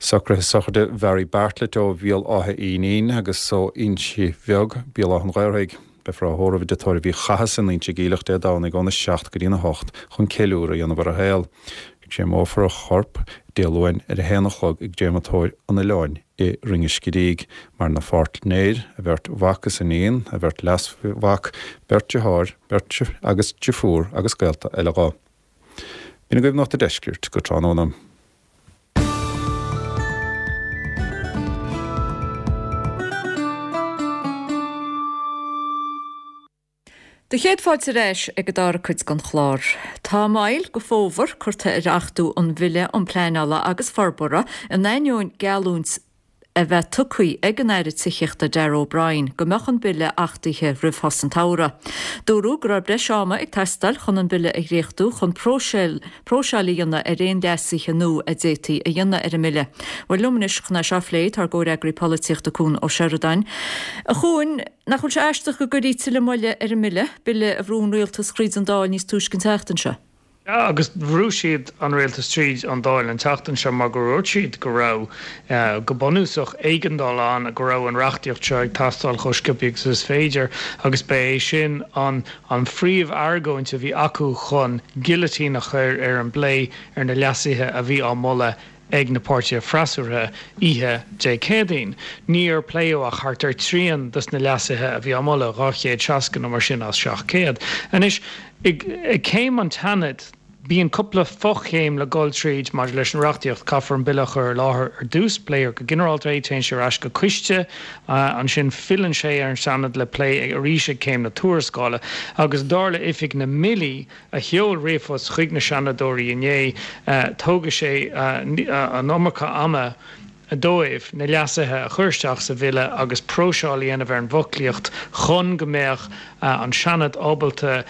Socruithe sochraide Mhary Bartlett ó Bhéal Átha Fhínín agus ó Inse Bheag, Béal Átha an Ghaorthaidh. Beifear á thórramh i dTigh Tórraimh Uí Chathasaigh in Inse Geimhleach Dé Domhnaigh óna 7 go dtína 8 chun ceiliúradh a dhéanamh ar a shaol. Créamófar a chorp Dé Luain ar a haon a chlog i gcréamatóir an Oileáin i Rinn an Scirígh. Maireann a pháirtnéir, a bheirt mhac is iníon, a bheirt leasmhac, beirt deartháir, beirt agus deirfiúr agus gaolta eile dho. B'in agaibh Nuacht an Deiscirt go tráthnóna. Do chéad fáilte ar ais ag an dara cuid den chlár. Tá moill go fómhar curtha ar achtú an Bhille um Pleanála agus Forbartha in ainneoin geallúint a bheith tugtha ag an Aire Tithíochta Darragh O'Brien go mbeadh an bille achtaithe roimh shos an tsamhraidh. Dúradh go raibh breis ama ag teastáil chun an bille a dhréachtú chun próiseáil a dhéanamh ar aon leasuithe nua a d'fhéadfaí a dhéanamh ar an mbille. Bhuel liom anois chun é seo a phlé tá ár gcomhfhreagraí polaitíochta Cuan Ó Seireadáin. A Chuain, nach bhfuil sé aisteach go gcuirfí tuilleadh moille ar an mbille, bille a bhrú an rialtas thríd an Dáil níos túisce an tseachtain seo? Agus bhrú siad an rialtas tríd an Dáil an tseachtain seo mar gur dhúirt siad go raibh, go bunúsach, éigeandáil ann, go raibh an reachtaíocht seo ag teastáil chomh sciobtha agus is féidir agus ba é sin an an phríomh-argóint a bhí acu chun gilitín a chur ar an bplé ar na leasuithe a bhí á moladh ag na páirtithe freasúrtha oíche Dé Céadaoin. Níor pléadh ach thart ar trian dos na leasuithe a bhí á moladh, 260 nó mar sin as 700. Anois, ag céim an tSeanaid, bíonn cúpla fochéim le dul tríd maidir leis an reachtaíocht. Caithfear an bille a chur i láthair ar dtús, pléifear go ginearálta é, téann sé ar ais go coiste, ansin filleann sé ar an Seanad le plé arís ag céim na tuarascála. Agus dar le Oifig na mBillí, a sheol ríomhphost chuig na Seanadóirí inné, tógfaidh sé an iomarca ama dóibh na leasuithe a chur isteach sa bhille agus próiseáil a dhéanamh ar an bhfoclaíocht chun go mbeadh an Seanad ábalta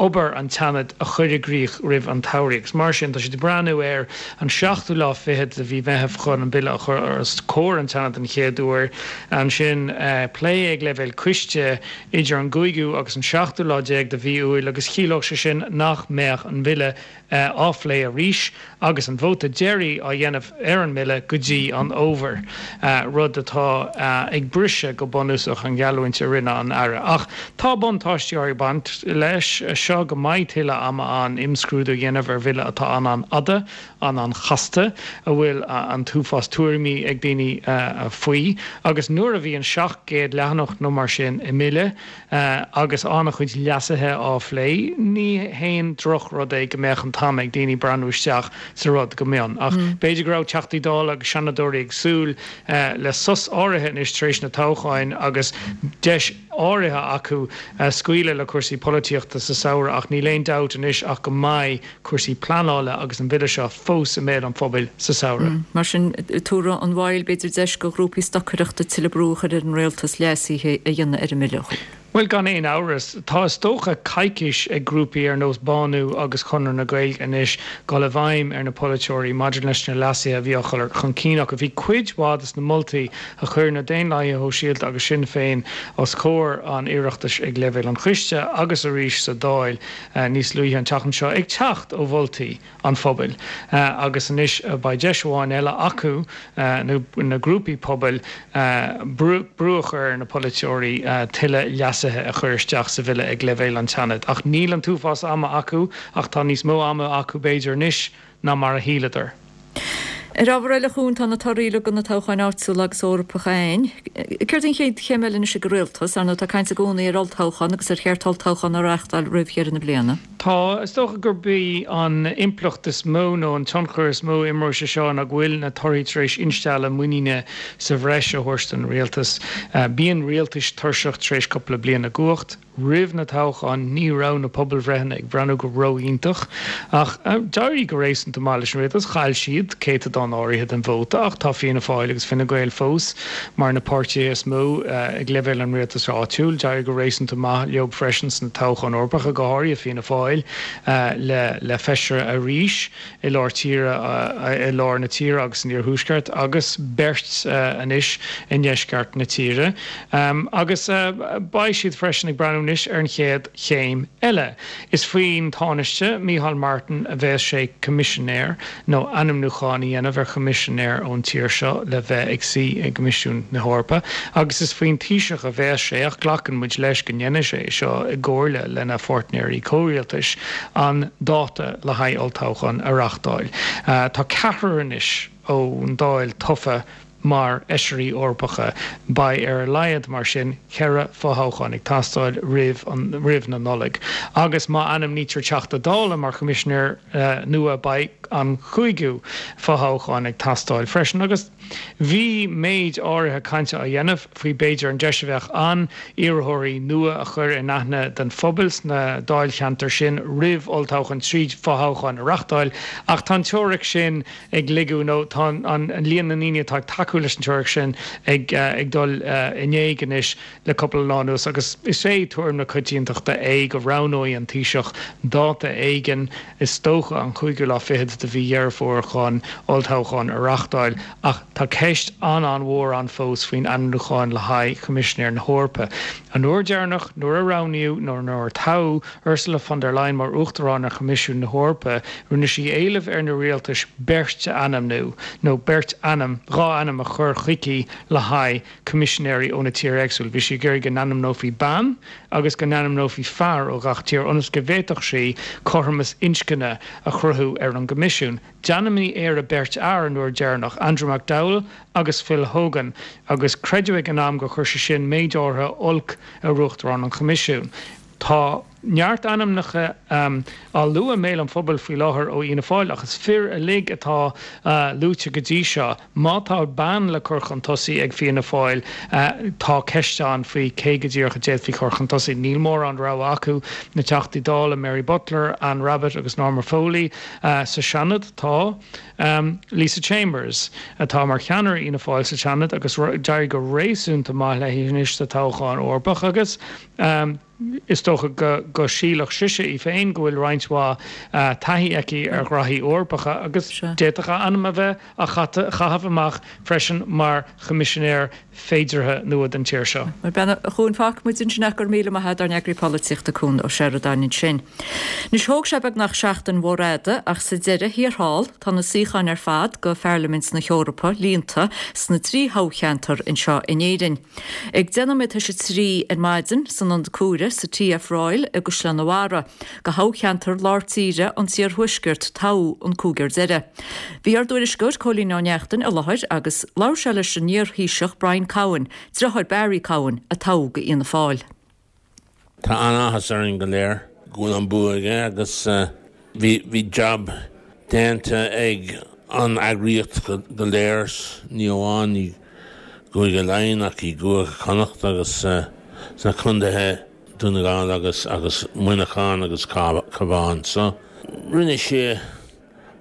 obair an tSeanaid a chur i gcrích roimh an tsamhradh. Agus mar sin, tá siad ag breathnú ar an seachtú lá fichead de mhí Mheithimh chun an bille a chur os comhair an tSeanaid den chéad uair. Ansin plé ag leibhéal coiste idir an gcúigiú agus an seachtú lá déag de mhí Iúil agus chiallódh sé sin nach mbeadh an bille á phlé arís agus an vóta deiridh á dhéanamh ar an mbille go dtí an fhómhar, rud atá ag briseadh go bunúsach an gheallúint a rinne an Aire. Ach tá buntáistí ag baint leis seo go mbeidh tuilleadh ama ann imscrúdú a dhéanamh ar bhille atá an-an-fhada, an-an-chasta, a bhfuil an t-uafás tuairimí ag daoine faoi, agus nuair a bhíonn 700 leathanach nó mar sin i mbille agus an-chuid leasuithe á phlé, ní haon drochrud é go mbeadh an t-am ag daoine breathnú isteach sa rud go mion. Ach b'fhéidir go raibh Teachtaí Dála agus Seanadóirí ag súil le sos áirithe anois tar éis na toghcháin agus deis áirithe acu scaoileadh le cúrsaí polaitíochta sa samhradh ach níl aon dabht anois ach go mbeidh cúrsaí pleanála agus an bhille seo fós i mbéal an phobail sa samhradh. Mar sin, tabharfaidh an mhoill, b'fhéidir, deis do ghrúpaí stocaireachta tuilleadh brú a chur ar an rialtas leasuithe a dhéanamh ar an mbille. Bhuel, gan aon amhras. Tá is dócha coicís ag grúpaí ar nós Bánú agus Conradh na Gaeilge anois dul i bhfeidhm ar na polaiteoirí maidir leis na leasuithe a bhí á chur chun cinn acu. Bhí cuid mhaith de na moltaí a chuir na Daonlathaithe Shóisialta agus Sinn Féin os comhair an Oireachtais ag leibhéal an choiste agus arís sa Dáil níos luaithe an tseachtain seo ag teacht ó mholtaí an phobail agus anois beidh deis amháin eile acu, nó na grúpaí pobail, brú a chur ar na polaiteoirí tuilleadh leasuithe a chur isteach sa bhille ag leibhéal an tSeanaid. Ach níl an t-uafás ama acu ach tá níos mó ama acu b'fhéidir anois ná mar a shíleadar. Ar ábhar eile, a Chuain, tá na torthaí uilig do na toghcháin áitiúla agus Eorpacha againn. Céard é an chéad chéim eile anois ag an rialtas? Ar ndóigh, tá caint i gcónaí ar olltoghchán agus ar cheart olltoghchán a reáchtáil roimh dheireadh na bliana. Tá. Is dócha gurb í an impleacht is mó nó an tionchar is mó a imreoidh sé seo ná go bhfuil na torthaí tar éis instealladh muiníne sa bhreis a thabhairt don rialtas. Bíonn rialtais tuirseach tar éis cúpla bliain i gcumhacht. Roimh na toghcháin ní raibh na pobalbhreitheanna ag breathnú go ró-iontach, ach d'éirigh go réasúnta maith leis an rialtas. Chaill siad céatadán áirithe den vóta, ach tá Fianna Fáil agus Fine Gael fós mar na páirtithe is mó ag leibhéal an rialtais áitiúil. D'éirigh go réasúnta maith leo freisin sna toghcháin Eorpacha, go háirithe Fianna Fáil le feisire arís. i lár tíre, i lár na tíre agus san iarthuaisceart, agus beirt anois i ndeisceart na tíre. Agus beidh siad freisin ag breathnú anois ar an chéad chéim eile. Is faoin Tánaiste, Micheál Martin, a bheas sé coimisinéir nó ainmniúchán a dhéanamh ar choimisinéir ón tír seo le bheith ag suí i gCoimisiún na hEorpa. Agus is faoin Taoiseach a bheas sé, ach glacann muid leis go ndéanfaidh sé seo i gcomhairle lena pháirtnéirí comhrialtais. an dáta le haghaidh olltoghchán a reáchtáil. Tá ceathrar anois ón Dáil tofa. mar Fheisirí Eorpacha. Beidh ar a laghad, mar sin, cheithre fothoghchán ag teastáil roimh an roimh na Nollag. Agus má ainmnítear Teachta Dála mar Choimisinéir nua beidh an cúigiú fothoghchán ag teastáil freisin. Agus bhí méid áirithe cainte á dhéanamh faoi b'fhéidir an deis a bheadh ann iarrthóirí nua a chur in aithne don phobal sna dáilcheantair sin roimh olltoghchán tríd fothoghcháin a reachtáil. Ach tá an teoiric sin ag lagú nó tá an líon na ndaoine atá ag tacú leis an teoiric sin ag ag dul in éag anois le cúpla lá anuas agus is é tuairim na coitiantachta é go roghnóidh an Taoiseach dáta éigin, is dócha an cúigiú lá fichead de mhí Dheireadh Fómhair chun olltoghchán a reachtáil. Ach tá ceist an-an-mhór ann fós faoin ainmniúchán le haghaidh Choimisinéir na hEorpa. An uair dheireanach nuair a roghnaíodh nó nuair a toghadh Ursula von der Leyen mar Uachtarán ar Choimisiún na hEorpa, rinne sí éileamh ar na rialtais beirt a ainmniú, nó beirt ainm, 2 ainm a chur chuici le haghaidh coimisinéirí ó na tíortha éagsúla. Bhí sí ag iarraidh go n-ainmneofaí bean agus go n-ainmneofaí fear ó ghach tír ionas go bhféadfadh sí cothromas inscne a chruthú ar an gCoimisiún. D'ainmnigh Éire beirt fhear an uair dheireanach, Andrew McDowell agus Phil Hogan, agus creideadh ag an am gur chuir sé sin méid áirithe oilc ar Uachtarán an Choimisiúin. Tá neart ainmneacha á lua i mbéal an phobail faoi láthair ó Fhianna Fáil ach is fir uilig atá luaite go dtí seo. Má tá bean le cur chun tosaigh ag Fianna Fáil tá ceist ann faoi cé go díreach a d'fhéadfaí cur chun tosaigh. Níl mórán rogha acu, na Teachtaí Dála Mary Butler, Anne Rabbitte agus Norma Foley. Sa Seanad tá Lisa Chambers, atá mar cheannaire Fhianna Fáil sa Seanad agus d'éirigh go réasúnta maith léi anois sa toghchán Eorpach agus, Is dócha go sílfeadh sise í féin go bhfuil roinnt mhaith taithí aici ar ghraithí Eorpacha agus d'fhéadfadh a ainm a bheith á chaitheamh amach freisin mar Choimisinéir féideartha nua don tír seo. Bhuel, bean a Chuain, fágfaidh muid ansin é. Go raibh míle maith agat, ár n-eagraí polaitíochta Cuan Ó Seireadáin ansin. Anois, thóg sé beagnach seachtain mhór fhada ach sa deireadh thiar thall tá na suíocháin ar fad do Pharlaimint na hEorpa líonta sna 3 thoghcheantar anseo in Éirinn. Ag 10 nóiméad théis a 3 ar maidin, san Ionad Cuaire sa TF Royal i gCaisleán an Bharraigh, do thoghcheantar Lár Tíre an tIarthuaiscirt, toghadh an cúigear deiridh. Bhí ár dtuairisceoir Cóilín Ó Neachtain i láthair agus labhair sé leis an iar-Thaoiseach Brian Cowen, driotháir Barry Cowen, a toghadh do Fhianna Fáil. Tá an-áthas orainn go léir go bhfuil an bua aige agus bhí bhí jab déanta ag an eagraíocht go léir, ní amháin i gCúige Laighean ach i gCúige Chonnacht agus sna contaetha Dún na nGall agus agus Muineachán agus Cabhán. So rinne sé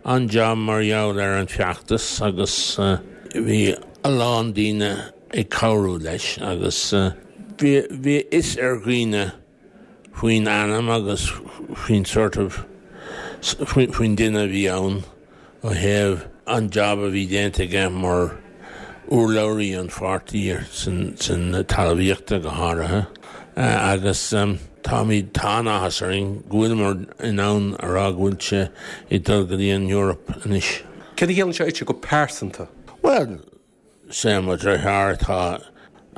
an-jab mar gheall ar an feachtas agus bhí a lán daoine ag cabhrú leis agus bhí bhí a fhios ar dhaoine faoin ainm agus faoin sort of faoin duine a bhí ann ó thaobh an job a bhí déanta aige mar urlabhraí an pháirtí san san talmhaíochta go háirithe agus táimid tá an-áthas orainn go bhfuileamar in ann a rá go bhfuil sé ag dul go dtí an Eoraip anois. Céard a chiallaíonn sé duitse go pearsanta? Bhuel, Is é mo dheartháir atá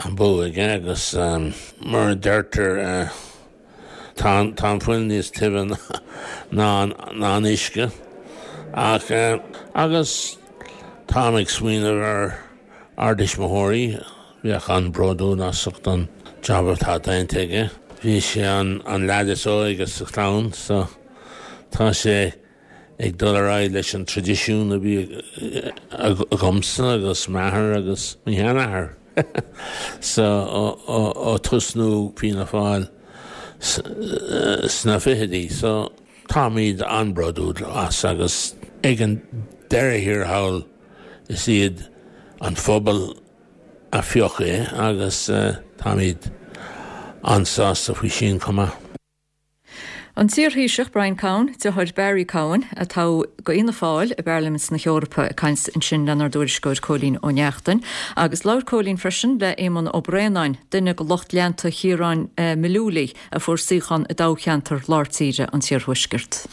an bua aige agus mar a deirtear tá an fuil níos tibhe ná an uisce ach agus táim ag smaoineamh ar ár dtuismitheoirí, bheadh an-bhródúil as ucht an job atá déanta aige. Bhí sé an leaid is óige sa chlann so tá sé ag dul ar aghaidh leis an traidisiún a bhí agamsa agus m'athair agus mo sheanathair so ó tosnú Fianna Fáil sna fichidí. So táimid an-bhródúil as agus ag an deireadh thiar thall is iad an phobal a phioc é agus táimid an-sásta faoi sin chomh maith. An t-iarThaoiseach Brian Cowen, deartháir Barry Cowen, a toghadh do Fhianna Fáil i bParlaimint na hEorpa ag caint ansin lenár dtuairisceoir Cóilín Ó Neachtain. Agus labhair Cóilín freisin le Éamonn Ó Braonáin, duine de lucht leanta Chiaráin Mullooly a fuair suíochán i dtoghcheantar Lár Tíre an tIarthuaiscirt.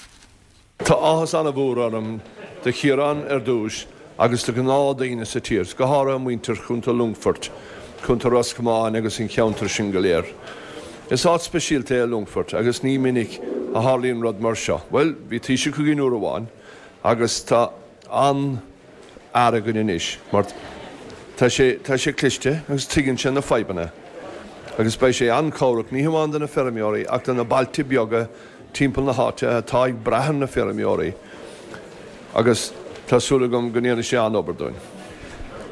Tá áthas an-mhór orm do Chiarán ar dtús agus do ghnáthdaoine sa tír, go háirithe muintir Chontae Longfoirt, Contae Ros Comáin agus an cheantar sin go léir. Is áit speisialta é Longfort agus ní minic a tharlaíonn rud mar seo. Bhuel, bhí Taoiseach againn uair amháin agus tá an-fhear againn anois mar. Tá sé, tá sé cliste agus tuigeann sé na fadhbanna agus beidh sé an-chabhrach ní hamháin do na feirmeoirí ach do na bailte beaga timpeall na háite atá ag brath ar na feirmeoirí agus tá súil agam go ndéanfaidh sé an-obair dúinn.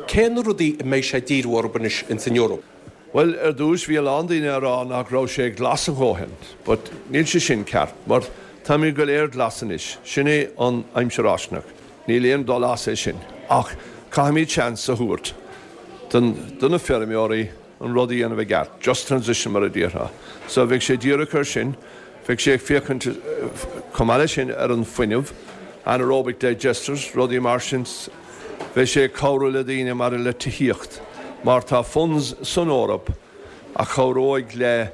Cé na rudaí a mbeidh sé ag díriú orthu anois ins an Eoraip? Bhuel, ar dtús bhí a lán daoine a rá nach raibh sé glas a dhóthain, but níl sé sin ceart, mar táimid go léir glas anois, sin é an aimsir fháistineach, níl aon dul as é sin, ach caithfimid seans a thabhairt don, do na feirmeoirí an rud a dhéanamh i gceart, just transition mar a déarfá. So bheidh sé díreach ar sin, bheidh sé ag féachaint chomh maith leis sin ar an fuinneamh, anaerobic digesters, rudaí mar sin, Beidh sé ag cabhrú le daoine maidir le tithíocht mar tá funds san Eoraip a chabhróidh le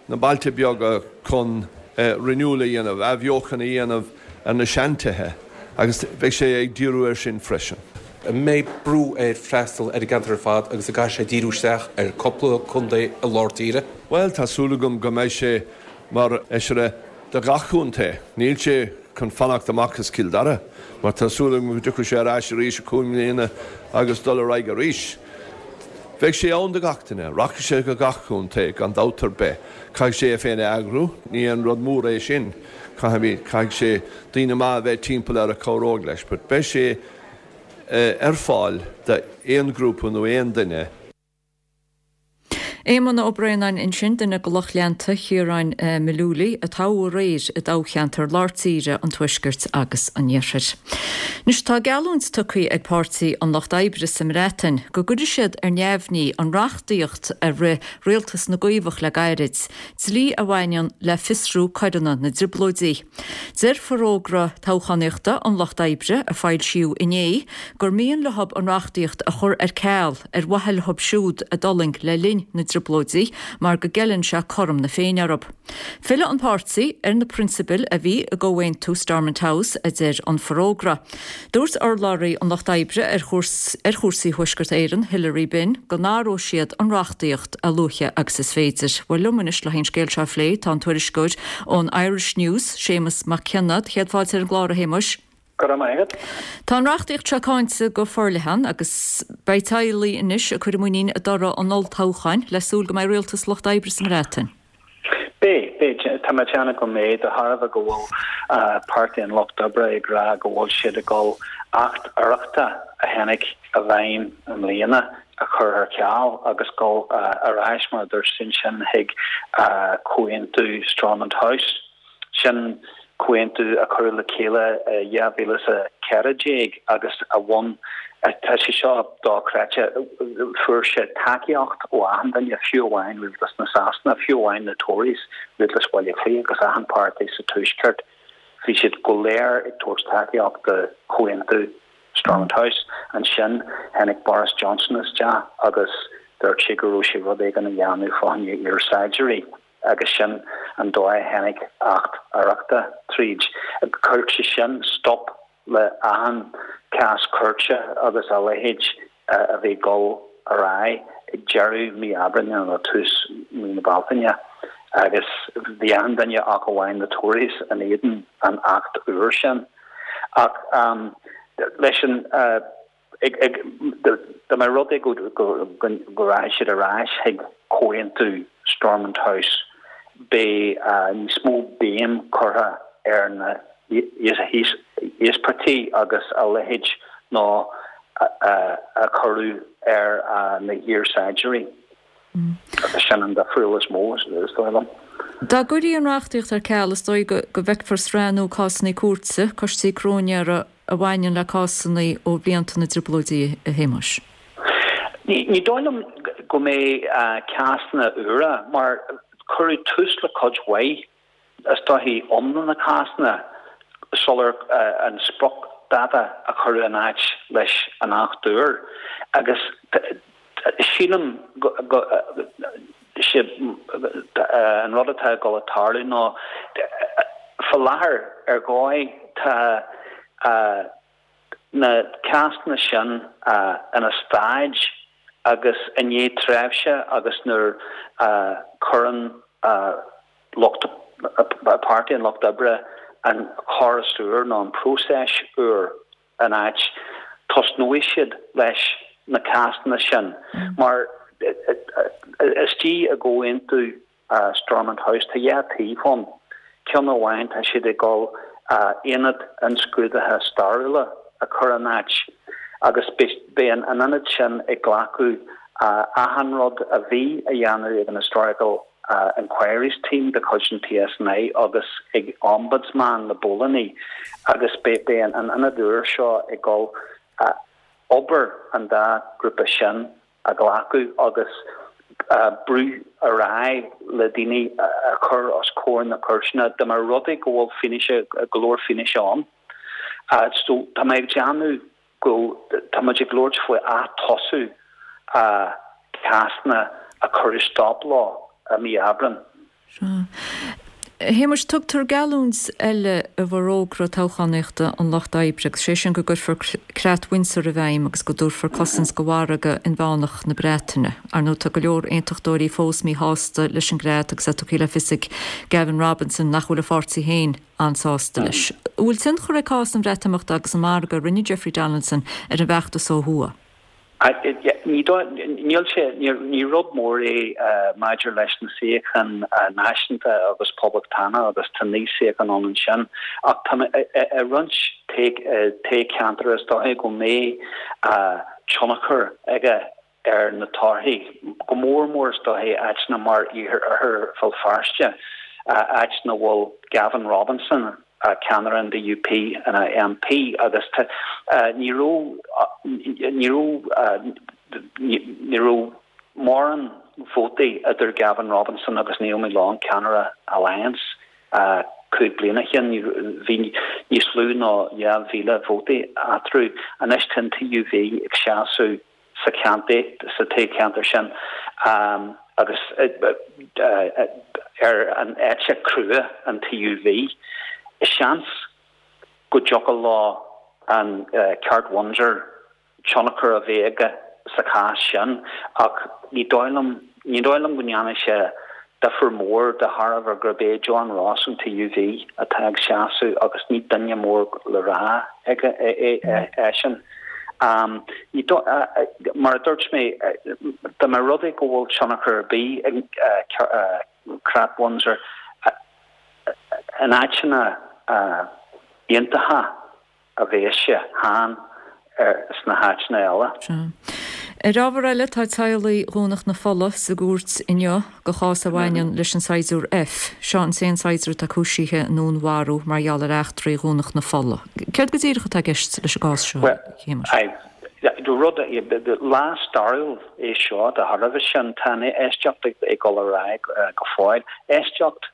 na bailte beaga chun renewal a dhéanamh, athbheochan a dhéanamh ar na seantithe agus beidh sé ag díriú air sin freisin. An mbeidh brú air freastal ar an gceantar ar fad agus an gcaithfidh sé díriú isteach ar cúpla contae i lár tíre? Bhuel, tá súil agam go mbeidh sé mar fheisire do gach contae. Níl sé chun fanacht amach as Cill Dara, mar tá súil agam go dtiocfaidh sé ar ais arís i gcúig mbliana agus dul ar aghaidh arís. Beidh sé ann do gach duine, rachaidh sé go gach contae, gan dabht ar bith. Caithfidh sé é féin a eagrú, ní aon rud mór é sin, caithfimid, caithfidh sé daoine maith a bheith timpeall air a chabhróidh leis, but beidh sé ar fáil d'aon ghrúpa nó aon duine. Éamonn Ó Braonáin ansin, duine de lucht leanta Chiaráin Mullooly, a toghadh aréir i dtoghcheantar Lár Tíre, an Tuaiscirt agus an Iarthair. Anois tá geallúint tugtha ag Páirtí an Lucht Oibre sa mBreatain go gcuirfidh siad ar neamhní an reachtaíocht a rith Rialtas na gCaomhach le gairid, dlí a bhaineann le fiosrú coireanna na dTrioblóidí. Deir forógra toghchánaíochta an Lucht Oibre, a foilsíodh inné, gur mian leo an reachtaíocht a chur ar ceal ar mhaithe leo siúd a d'fhulaing le linn na dTrioblóidí mar go gceileann sé cothrom na Féinne orthu. Fillfidh an páirtí ar na prionsabail a bhí i gComhaontú Stormont House, a deir an forógra. Dúirt urlabhraí an Lucht Oibre ar chúrsaí Thuaisceart Éireann, Hilary Benn, go n-athróidh siad an reachtaíocht a luaithe agus is féidir. Bhuel, liom anois le haghaidh an scéal seo a phlé tá an tuairisceoir ón Irish News, Séamus Mac Cionnaith. Céad fáilte ar an gclár, a Shéamuis. Go raibh maith agat. Tá an reachtaíocht seo cáinte go forleathan agus beidh teaghlaigh anois ag cur a muinín i dtoradh an olltoghcháin le súil go mbeidh rialtas lucht oibre sa mBreatain. Beidh, beidh. Tá mé ag déanamh go mbeidh, de thairbhe go bhfuil Páirtí an Lucht Oibre ag rá go bhfuil siad ag dul Acht Oidhreachta a tháinig i bhfeidhm i mbliana a chur ar ceal agus dul ar ais, mar a dúirt tú ansin, chuig Comhaontú Stormont House. Sin comhaontú a cuireadh le chéile i 2014 agus a bhain, tá sé seo dochreidte, fuair sé tacaíocht ó achan duine, fiú amháin rialtas na Sasana, fiú amháin na Tories, rialtas Bhaile Átha Cliath agus achan páirtí sa Tuaisceart, bhí siad go léir ag tabhairt tacaíocht do chomhaontú Stormont House. Ansin tháinig Boris Johnson isteach agus dúirt sé go raibh sé rud éigin a dhéanamh fá choinne iar-saighdiúirí. agus sin an dóigh a tháinig Acht Oidhreachta tríd. Chuir sé sin stop le achan cás cúirte agus a leithéid a bhí ag dul ar aghaidh ag deireadh mí Aibreáin nó tús mí na Bealtaine agus bhí achan duine ach amháin na Tories in éadan an Acht úr sin. Ach leis an. Dá mba rud é go rachaidh siad ar ais chuig comhaontú Stormont House, beidh níos mó béim curtha ar na híospartaigh agus a leithéid ná a cuireadh ar na hiar-saighdiúirí. Agus sin an difriúil is mó, is dóigh liom. Dá gcuirfí an reachtaíocht ar ceal, is dóigh go bhfeicfear sraith nua cásanna cúirte, coistí cróinéara a bhaineann le cásanna ó bhlianta na dTrioblóidí, a Shéamuis. Ní dóigh liom go mbeidh cásanna úra, mar cuireadh tús le cuid mhaith is dóichí, iomlán na cásanna sular an spriocdháta a cuireadh in áit leis an Acht úr agus sílim go sé an rud atá ag dul a tarlú ná faoi láthair ar dhóigh tá na cásanna sin ina staid agus i ndiaidh tréimhse agus nuair a chuireann lucht Páirtí an Lucht Oibre an córas úr nó an próiseas úr in áit, tosnóidh siad leis. na cásanna sin mar istigh i gcomhaontú Stormont House tá dhá taobh ann. Ceann amháin tá siad ag dul aonad imscrúdaithe stairiúla a chur in áit agus beidh an ionad sin ag glacadh achan rud a bhí á dhéanamh ag an Historical Inquiries Team de chuid an PSNI agus ag Ombudsman na bPóilíní agus beidh an ionad úr seo ag dul obair an dá ghrúpa sin a ghlacadh agus brú ar aghaidh le daoine a chur os comhair na cúirteanna dá mba rud é go bhfuil fianaise, go leor fianaise ann. So tá mé ag déanamh go, tá muid ag labhairt faoi atosú cásanna a cuireadh stop leo i mí Aibreán. Sea. A Shéamais, tugtar geallúint eile i bhforógra toghchánaíochta an Lucht Oibre, agus sé sin go gcuirfear Creat Windsor i bhfeidhm agus go dtabharfar cosaint do mhargadh inmheánach na Breataine. Ar ndóigh, tá go leor aontachtóirí fós míshásta leis an gcreat agus é tugtha le fios ag Gavin Robinson nach bhfuil a pháirtí féin an-sásta leis. An bhfuil tionchar ag cás an Bhreatimeachta agus an margadh a rinne Jeffrey Donaldson ar an bhfeachtas ó thuaidh? Ní níl sé, ní rud mór é maidir leis na suíocháin náisiúnta agus poblachtánach agus tá 9 suíochán ann ansin ach tá i roinnt toghcheantar is dóiche go mbeidh tionchar aige ar na torthaí, go mór mór is dóiche áiteanna mar Iarthar Bhéal Feirste, áit ina bhfuil Gavin Robinson ceannaire an DUP ina MP agus ní raibh ní raibh ní raibh mórán vótaí idir Gavin Robinson agus Naomi Long, ceannaire Alliance, 5 bliana ó shin. Bhí níos lú ná 2,000 vótaí eatarthu. Anois tá an TUV ag seasamh sa cheantar, sa toghcheantar sin agus ar an eite chrua an TUV. Seans go dtiocfadh leo an Ceart Windsor tionchar a bheith aige sa chás sin ach ní dóigh liom, ní dóigh liom go ndéanfaidh sé difear mór de thairbhe gurb é John Ross an TUV atá ag seasamh agus ní duine mór le rá aige é eisean. Mar a dúirt mé, dá mba rud é go bhfuil tionchar ar bith ag Creat Windsor in áiteanna aontaithe, a bheas sé, chan sna háiteanna eile. Sea. Ar ábhar eile, tá teaghlaigh Dhomhnach na Fola sa gcúirt inniu do chás a bhaineann leis an Saighdiúir F. Seo an t-aon saighdiúir atá cúisithe i ndúnmharú mar gheall ar eachtraí Dhomhnach na Fola. Céard go díreach atá i gceist leis an gcás seo, a Shéamais? Rud, lá stairiúil é seo de thairbhe sin. Tá an éisteacht ag dul ar aghaidh go fóill. Éisteacht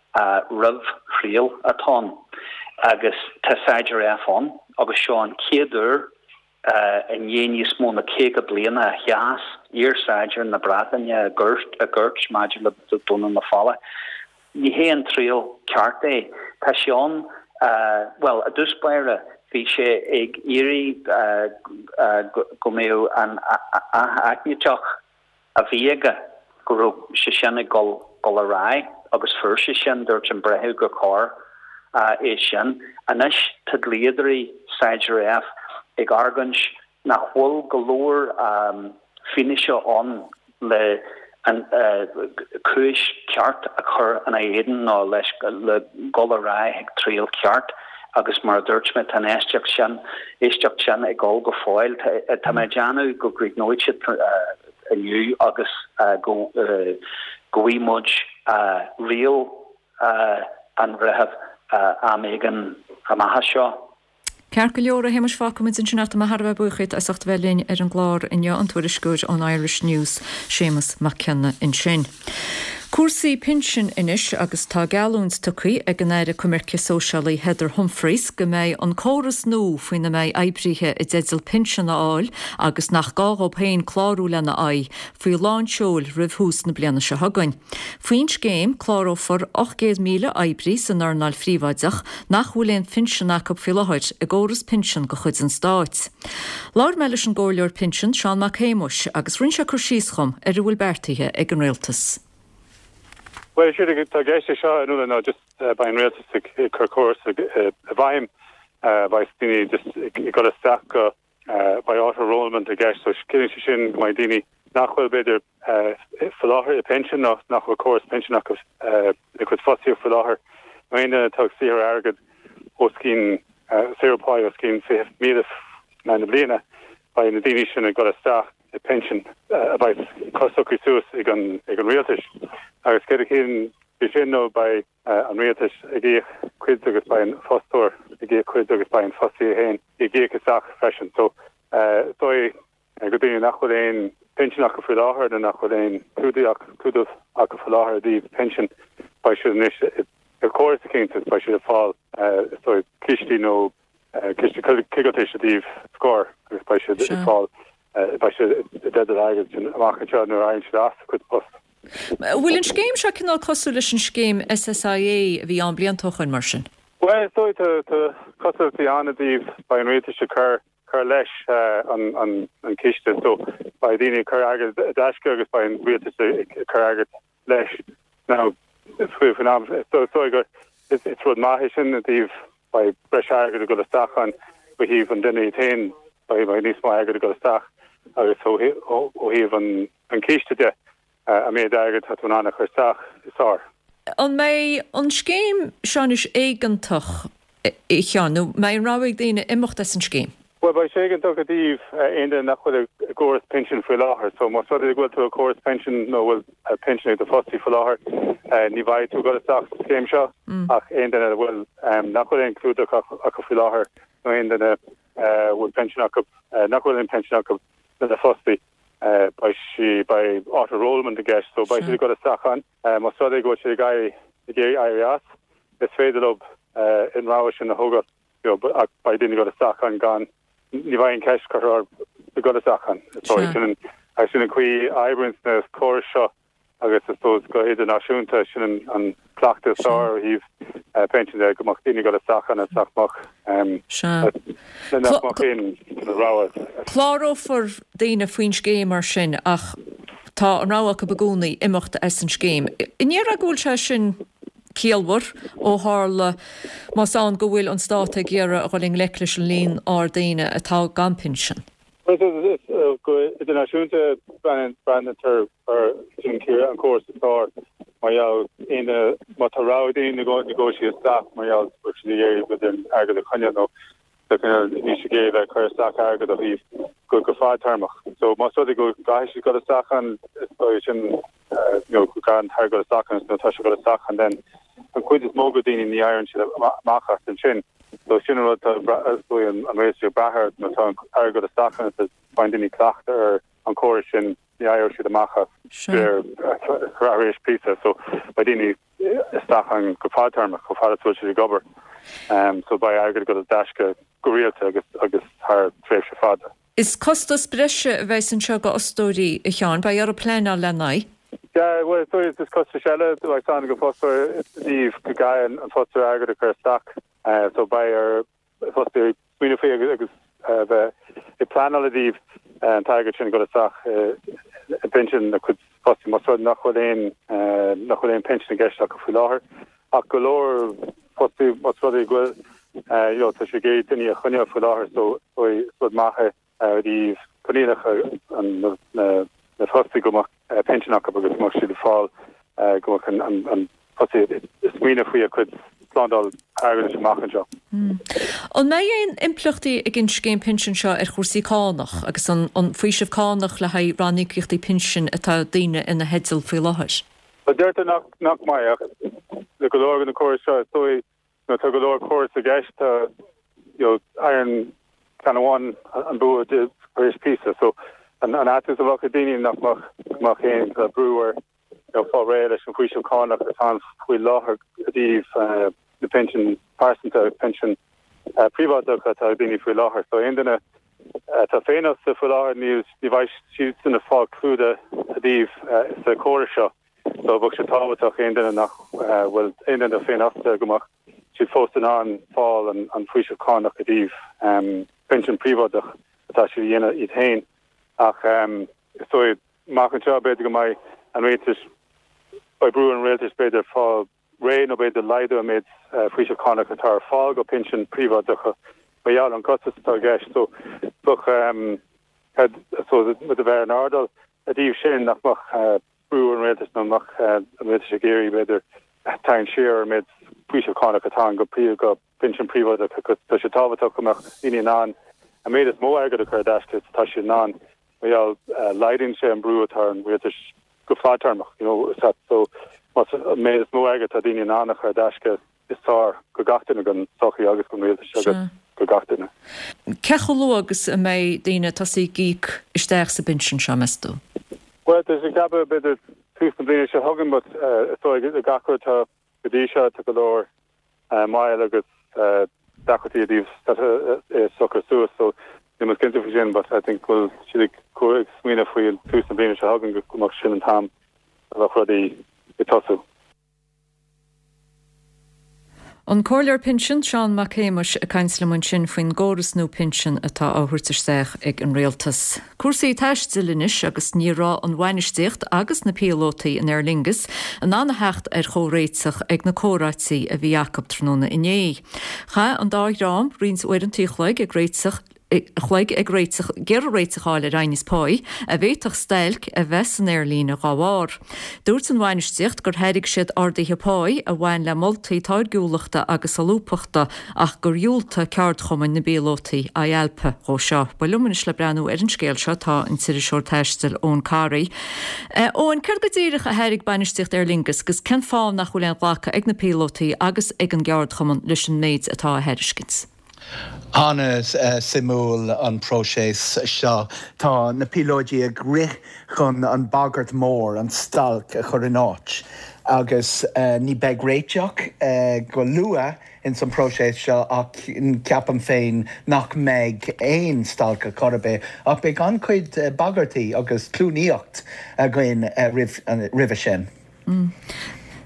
roimh thriail atá ann agus tá Saighdiúir F ann agus seo an chéad uair i ndiaidh níos mó na 50 bliana a sheas iar-shaighdiúir na Breataine i gcúirt maidir le Domhnach na Fola. Ní hé an triail ceart é. Tá sé ann, bhuel, i dtús báire bhí sé ag iarraidh go mbeadh an athnaiteacht a bhí aige go raibh sé sin ag dul dul ar aghaidh agus fuair sé sin, dúirt an breitheamh gur chóir é sin. Anois tá dlíodóirí Saighdiúir F ag argóint nach bhfuil go leor fianaise ann le an cúis ceart a chur ina éadan nó leis le dul ar aghaidh ag triail ceart agus mar a dúirt mé tá an éisteacht sin éisteacht sin ag dul go fóill. Tá mé ag déanamh go gcríochnóidh siad inniu agus go bhfaighidh muid riail an bhreithimh am éigin amach anseo. Ceart go leor, a Shéamais, fágfaimid ansin é. Tá mé thar a bheith buíoch díot as ucht a bheith linn ar an gclár inniu, an tuairisceoir ón Irish News, Séamus Mac Cionnaith ansin. Cúrsaí pinsin anois agus tá geallúint tugtha ag an Aire Coimirce Sóisialaí Heather Humphreys go mbeidh an córas nua faoina mbeidh oibrithe i dteideal pinsean a fháil agus nach gá dhóibh féin clárú lena aghaidh faoi lán seoil roimh thús na bliana seo chugainn. Faoin scéim, clárófar 800,000 oibrí san earnáil phríobháideach nach bhfuil aon phinsean acu faoi láthair i gcóras pinsean de chuid an stáit. Labhair mé leis an gcomhairleoir pinsean, Seán Mac Shéamuis, agus rinne sé cur síos dhom ar a bhfuil beartaithe ag an Rialtas. Bhuel, is éard atá i gceist leis seo a Nuala ná just beidh an Rialtas ag cur córas i bhfeidhm, beidh daoine just ag dul isteach go, beidh auto-enrolment. enrollment i gceist. So ciallaíonn sé sin go mbeidh daoine nach bhfuil b'fhéidir faoi láthair i bpinsean nó nach bhfuil córas pinsin acu ina gcuid fostaíocht faoi láthair nó aon duine atá ag saothrú airgead os cionn saothrú páí os cionn 20,000 in aghaidh na bliana, beidh na daoine sin ag dul isteach i bpinsean a bheidh socraithe suas ag an rialtas. Agus céard a chiallaíonn sé sin nó beidh an rialtas ag íoc cuid agus beidh an fostóir ag íoc cuid agus beidh an fostaí féin ag íoc isteach freisin. So is dóigh go daoine nach bhfuil aon pinsean acu faoi láthair nó nach bhfuil aon clúdach acu faoi láthair i dtaobh pinsean, beidh siad anois i gcóras eicínt agus beidh siad ag fáil is dóigh cistí nó ciste coigiltis i dtaobh scor agus beidh siad ag fáil beidh siad i dteideal airgead sin amach anseo nuair a éiríonn siad as a gcuid post. An bhfuil an scéim seo cineál cosúil leis an scéim SSIA a bhí ann blianta ó shoin mar sin? Bhuel is dóigh tá cosúlachtaí ann i dtaobh beidh an rialtas ag cur cur leis an ciste so beidh daoine ag cur airgead i dtaisce agus beidh an rialtas ag cur airgead leis. Now faoin am is dóigh gur is rud maith é sin i dtaobh beidh breis airgead ag dul isteach ann ó thaobh an duine iad féin beidh níos mó airgead ag dul isteach agus ó thaobh an ciste de an méid airgead atá tú in ann a chur isteach is fearr. An mbeidh an scéim seo anois éigeantach, a Sheáin, nó mbeidh an rogha ag daoine imeacht as an scéim? Bhuel, beidh sé éigeantach i dtaobh aon duine nach bhfuil i gcóras pinsin faoi láthair. So, más rud é go bhfuil tú i gcóras pinsin nó bhfuil pinsean ag do fostaí faoi láthair, ní bheidh tú ag dul isteach sa scéim seo ach aon duine a bhfuil, nach bhfuil aon chlúdach acu faoi láthair nó aon duine a bhfuil pinsean acu, nach bhfuil aon pinsean acu lena fostaí. Beidh sí, beidh auto enrollment i gceist so beidh siad ag dul isteach ann. Más rud é go bhfuil siad ag éirí, ag iarraidh éirí as, is féidir leo an rogha sin a thógáil you know ach beidh daoine ag dul isteach ann gan, ní bheidh aon cheist curtha orthu ag dul isteach ann. Is dóigh. Sin an, agus sin an chaoi a oibríonn na córais seo agus is dóigh go hidirnáisiúnta sin an cleachtadh is fearr ó thaobh pinsean de, go mbeadh daoine ag dul isteach ann is nach mbeadh nach mbeadh aon rogha. Clárófar daoine faoin scéim mar sin ach tá an rogha acu i gcónaí imeacht as an scéim. An ndéarfá go bhfuil sé sin ciallmhar ó tharla más ann go bhfuil an stát ag iarraidh a dhul i ngleic leis an líon ard daoine atá gan pinsean? Go hidirnáisiúnta breathnaítear ar sin an córas is fearr mar gheall aon duine má tá rogha ag daoine ní ghabhfaidh siad isteach mar gheall go bhfuil siad ag iarraidh b'fhéidir an airgead a choinneáil nó tá cineál níl siad ag iarraidh bheith ag cur isteach airgead ó thaobh go go fadtéarmach. So más rud é go gcaithfidh siad dul isteach ann is dóigh sin you know go gcaithfidh an t-airgead dul isteach ann nó tá sé ag dul isteach ann then an chuid is mó de dhaoine ní éiríonn siad amach as ansin. So sin an rud tá is dóigh an rialtas ag brath air má tá an airgead isteach ann is faigheann daoine cleachtadh ar an chóras sin ní éireoidh siad amach as tar éis píosa so beidh daoine isteach ann go fadtéarmach chomh fada is bhfuil siad ag obair. So beidh airgead ag dul i dtaisce go rialta agus agus thar tréimhse fada. Is costas breise a bheas anseo do fhostóirí, a Sheáin. Beidh orthu pleanáil lena aghaidh. Yeah, bhuel, is dóigh is costas eile a bheas ann do fhostóir i dtaobh go gcaithfidh an fostóir airgead a chur isteach. So beidh ar fostóirí smaoineamh faoi agus bheith ag pleanáil i dtaobh an t-airgead sin a dhul isteach i bpinsean a gcuid fostaí más rud nach bhfuil aon nach bhfuil aon pinsean i gceist acu faoi láthair. Ach go leor fostaí más rud é go bhfuil you know tá siad ag iarraidh daoine a choinneáil faoi láthair so is rud maith é i dtaobh coinníollacha na fostaí go mbeadh pinsean acu agus go mbeadh siad ag fáil go mbeadh an fostaí ag smaoineamh faoi a cuid slándáil airgeadais amach anseo. An mbeidh aon impleachtaí ag an scéim pinsin seo ar chúrsaí cánach agus an faoiseamh cánach le haghaidh ranníocaíochtaí pinsin atá daoine ina theideal faoi láthair? Bhuel deirtear nach mbeidh ach le go leor de na córais seo is dóigh nó tá go leor córas i gceist, tá you know faigheann ceann amháin an bua tar éis píosa. So an fhaitíos a bheadh ag daoine nach mbeadh mbeadh aon brú ar you know fáil réidh leis an bhfaoiseamh cánach atá ann faoi láthair i dtaobh na pinsin pearsanta agus pinsin príobháideacha atá ag daoine faoi láthair. So aon duine atá féinfhostaithe faoi láthair níl ní bheidh siadsan ag fáil clúdaigh i dtaobh sa chóras seo. So bheadh sé tábhachtach aon duine nach bhfuil aon duine féinfhostaithe go mbeadh siad fós in ann fáil an faoiseamh cánach i dtaobh pinsean príobháideach atá siad a dhéanamh iad féin. Ach is dóigh amach anseo b'fhéidir go mbeidh an rialtas, beidh brú ar an rialtas b'fhéidir fáil réidh nó b'fhéidir laghdú an méid faoiseamh cánach atá ar fáil go pinsin príobháideacha mar gheall ar an gcostas atá i gceist. So bheadh. Caithfidh, I suppose, muid a bheith ar an airdeall i dtaobh sin, nach mbeadh brú ar an rialtas nó mbeadh an rialtas ag iarraidh, b'fhéidir, tarraingt siar ar an méid faoiseamh cánach atá ann go príomha go pinsean príobháideach agus tá sé tábhachtach go mbeadh daoine in ann an méid is mó airgead a chur i dtaisce is atá siad in ann mar gheall laghdaíonn sé an brú atá ar an rialtas go fadtéarmach you know is that so más an méid is mó airgead atá daoine in ann a chur i dtaisce is fearr go gach duine don sochaí agus don rialtas agus go gach duine. Cé chomh luath agus a mbeidh daoine ag tosaí ag íoc isteach sa bpinsean seo, meas tú? Bhuel, tá sé ceaptha b'fhéidir tús na bliana seo chugainn but is dóigh le gach rud atá Go dtí seo tá go leor moill agus deacrachtaí i dtaobh é a socrú suas so níl muid cinnte faoi sin but I think go bhfuil siad ag ag smaoineamh faoi tús na bliana seo chugainn go mbeadh sin an t-am a bheadh rudaí ag tosú. An Comhairleoir Pinsean, Seán Mac Shéamais ag caint liom ansin faoin gcóras nua pinsean atá á thabhairt isteach ag an Rialtas. Cúrsaí taistil anois agus ní raibh an bhainistíocht agus na píolótaí in Aer Lingus in ann a theacht ar chomhréiteach ag na comhráití a bhí acu tráthnóna inné. Chaith an dá dhream roinnt uaireanta an chloig ag réiteach chloig ag réiteach ag iarraidh réiteach a fháil ar aighneas páí a bhféadfadh stailc a bheith san aerlíne dá bharr. Dúirt an bhainistíocht gur thairg siad arduithe páí a bhain le moltaí táirgiúlachta agus solúbthachta ach gur dhiúltaigh ceardchumainn na bpíolótaí, IALPA, dhó seo. Bhuel liom anois le breathnú ar an scéal seo tá an t-iriseoir taistil Eoin Corry. Eoin, céard go díreach a thairg bainistíocht Aer Lingus agus cén fáth nach bhfuil aon ghlacadh ag na píolótaí agus ag an gceardchumann leis an méid atá á thairiscint? An-suimiúil an próiseas seo. Tá na píolóidí ag rith chun an bagairt mór, an stailc, a chur in áit agus ní beidh réiteach go luath ins an próiseas seo ach ceapaim féin nach mbeidh aon stailc ar chor ar bith ach beidh an-chuid bagairtí agus cluanaíocht againn roimhe sin.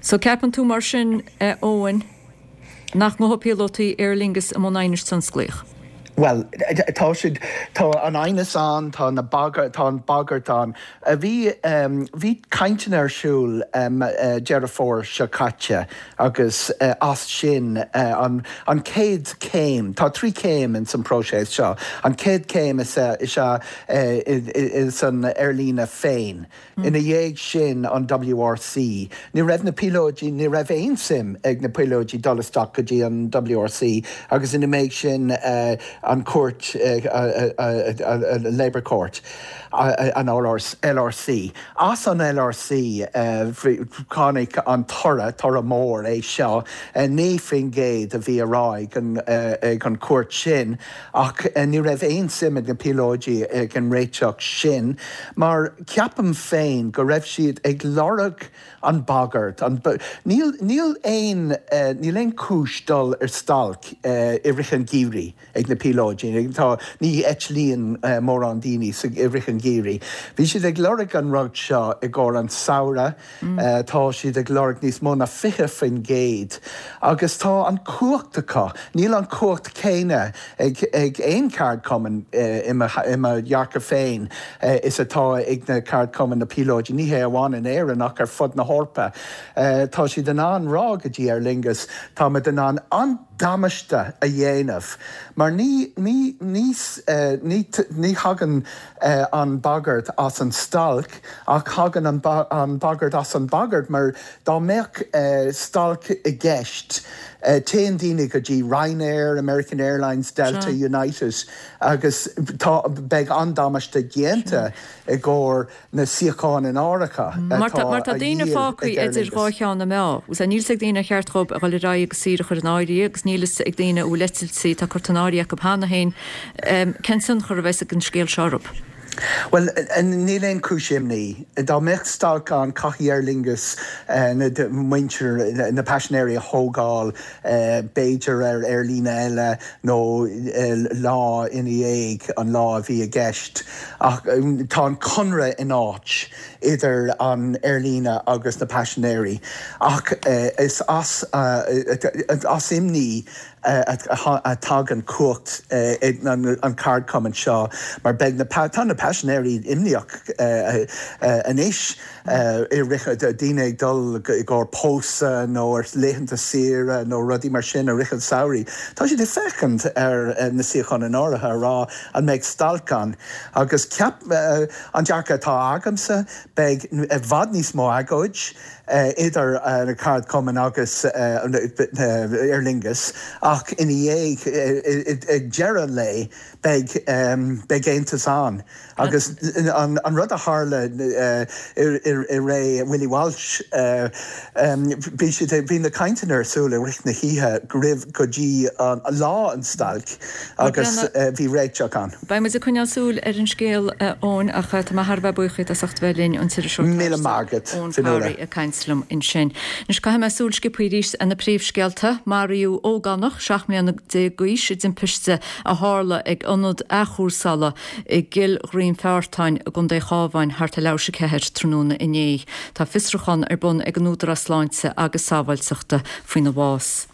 So ceapann tú mar sin, a Eoin, nach ngabhfaidh píolótaí Aer Lingus i mbun aighnis tionsclaíoch? Bhuel, tá siad, tá an aighneas ann, tá na baga, tá an bagairt ann. Bhí, bhí cainteanna ar siúl Deireadh Fómhair seo caite agus as sin an, an chéad chéim, tá 3 chéim ins an próiseas seo, an chéad chéim is ea, is ea san aerlíne féin. Ina dhiaidh sin, an WRC. Ní raibh na píolóidí, ní raibh aon suim ag na píolóidí dul isteach go dtí an WRC agus ina mbeidh sin an chúirt, an Labour Court, an LRC. As an LRC tháinig an toradh, toradh mór é seo, 9% a bhí á rá ag an chúirt sin. Ach ní raibh aon suim ag na píolóidí ag an réiteach sin mar ceapaim féin go raibh siad ag lorg an bagairt, an, níl, níl aon, níl aon chúis dul ar stailc i rith an gheimhridh ag na píolóidí, tá, ní eitlíonn mórán daoine sa, i rith an gheimhridh. Bhí siad ag lorg an rud seo i gcomhair an samhradh. Tá siad ag lorg níos mó ná 20% agus tá an chumhacht acu. Níl an chumhacht chéanna ag aon cheardchumann i mo dhearcadh féin is atá ag na ceardchumainn na píolóidí, ní hé amháin in Éirinn ach ar fud na hEorpa. Tá siad in ann rá go dtí Aer Lingus, táimid in ann an damáiste a dhéanamh mar ní, ní, ní, ní, ní thagann an bagairt as an stailc ach thagann an bagairt as an bagairt mar dá mbeadh stailc i gceist téann daoine go dtí Ryanair, American Airlines, Delta, United agus tá, beidh an-damáiste déanta i gcomhair na suíocháin in áirithe Mar atá mar tá a daoine dhíol fágtha ag Aer idir dhá Lingus. cheann na meá. Agus níl fhios ag daoine ar cheart dhóibh a dhul ar aghaidh agus saoire a chur in áirithe agus níl fhios ag daoine a bhfuil eitiltí atá curtha in áirithe acu cheana féin cén tionchar a bheas ag an scéal seo orthu. Bhuel, níl aon chúis imní. Dá mbeadh stailc ann, caithfidh Aer Lingus na muintir, na paisinéirí a thógáil, b'fhéidir ar aerlíne eile nó lá ina dhiaidh an lá a bhí i gceist. Ach tá an conradh in áit idir an aerlíne agus na paisinéirí. Ach is as, as imní. A tagann cumhacht an cheardchumainn seo mar beidh na, tá na paisinéirí imníoch anois i rith, daoine ag dul i gcomhair pósadh nó ar laethanta saoire nó rudaí mar sin i rith an samhraidh. Tá siad ag féachaint ar na suíocháin in áirithe a rá an mbeidh stailc ann agus ceap, an dearcadh atá agamsa beidh i bhfad níos mó agóid idir na ceardchumainn agus Aer Lingus ach ina dhiaidh, ag deireadh an lae, beidh beidh aontas ann. Agus an rud a tharla i ré Willie Walsh, bhí siad, bhí na cainteanna ar siúl i rith na hoíche roimh go dtí lá an stailc agus bhí réiteach ann. Beidh muid ag coinneáil súil ar an scéal, a Eoin, ach tá mé thar a bheith buíoch díot as ucht a bheith linn, an t-iriseoir Míle maith agat, Eoin Fionnuala. Carey ag caint liom ansin. Anois caithfidh mé súil sciobtha arís ar na príomhscéalta. Maraíodh ógánach 17 mbliana d'aois i dtimpiste a tharla ag ionad athchúrsála i gCill Dhroim Feartáin i gContae an Chabháin thart ar leathuair tar éis a 4 tráthnóna inné. Tá fiosrúchán ar bun ag an Údarás Sláinte agus Sábháilteachta faoina bhás.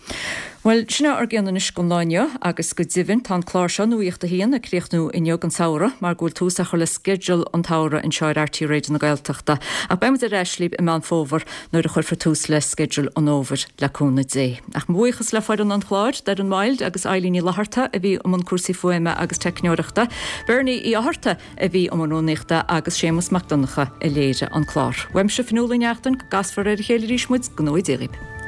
Bhuel, sin é ár gcion anois don lá inniu, agus go deimhin tá an clár seo, Nuacht a hAon, ag críochnú inniu don samhradh, mar go bhfuil tús á chur le sceideal an tsamhraidh anseo ar RTÉ Raidió na Gaeltachta. Ach beidh muid ar ais libh i Meán Fómhair nuair a chuirfear tús le sceideal an fhómhair, le cúnamh Dé. Ach mo bhuíochas le foireann an chláir, Doireann Wilde agus Eileen Ní Fhlatharta a bhí i mbun cúrsaí fuaime agus teicneoireachta, Bernie Uí Fhátharta a bhí i mbun rúnaíochta agus Séamus Mac Donncha a léirigh an clár. Uaimse, Fionnuala Ní Neachtain, go gcasfar ar a chéile arís muid, go ngnóthaí Dia dhaoibh.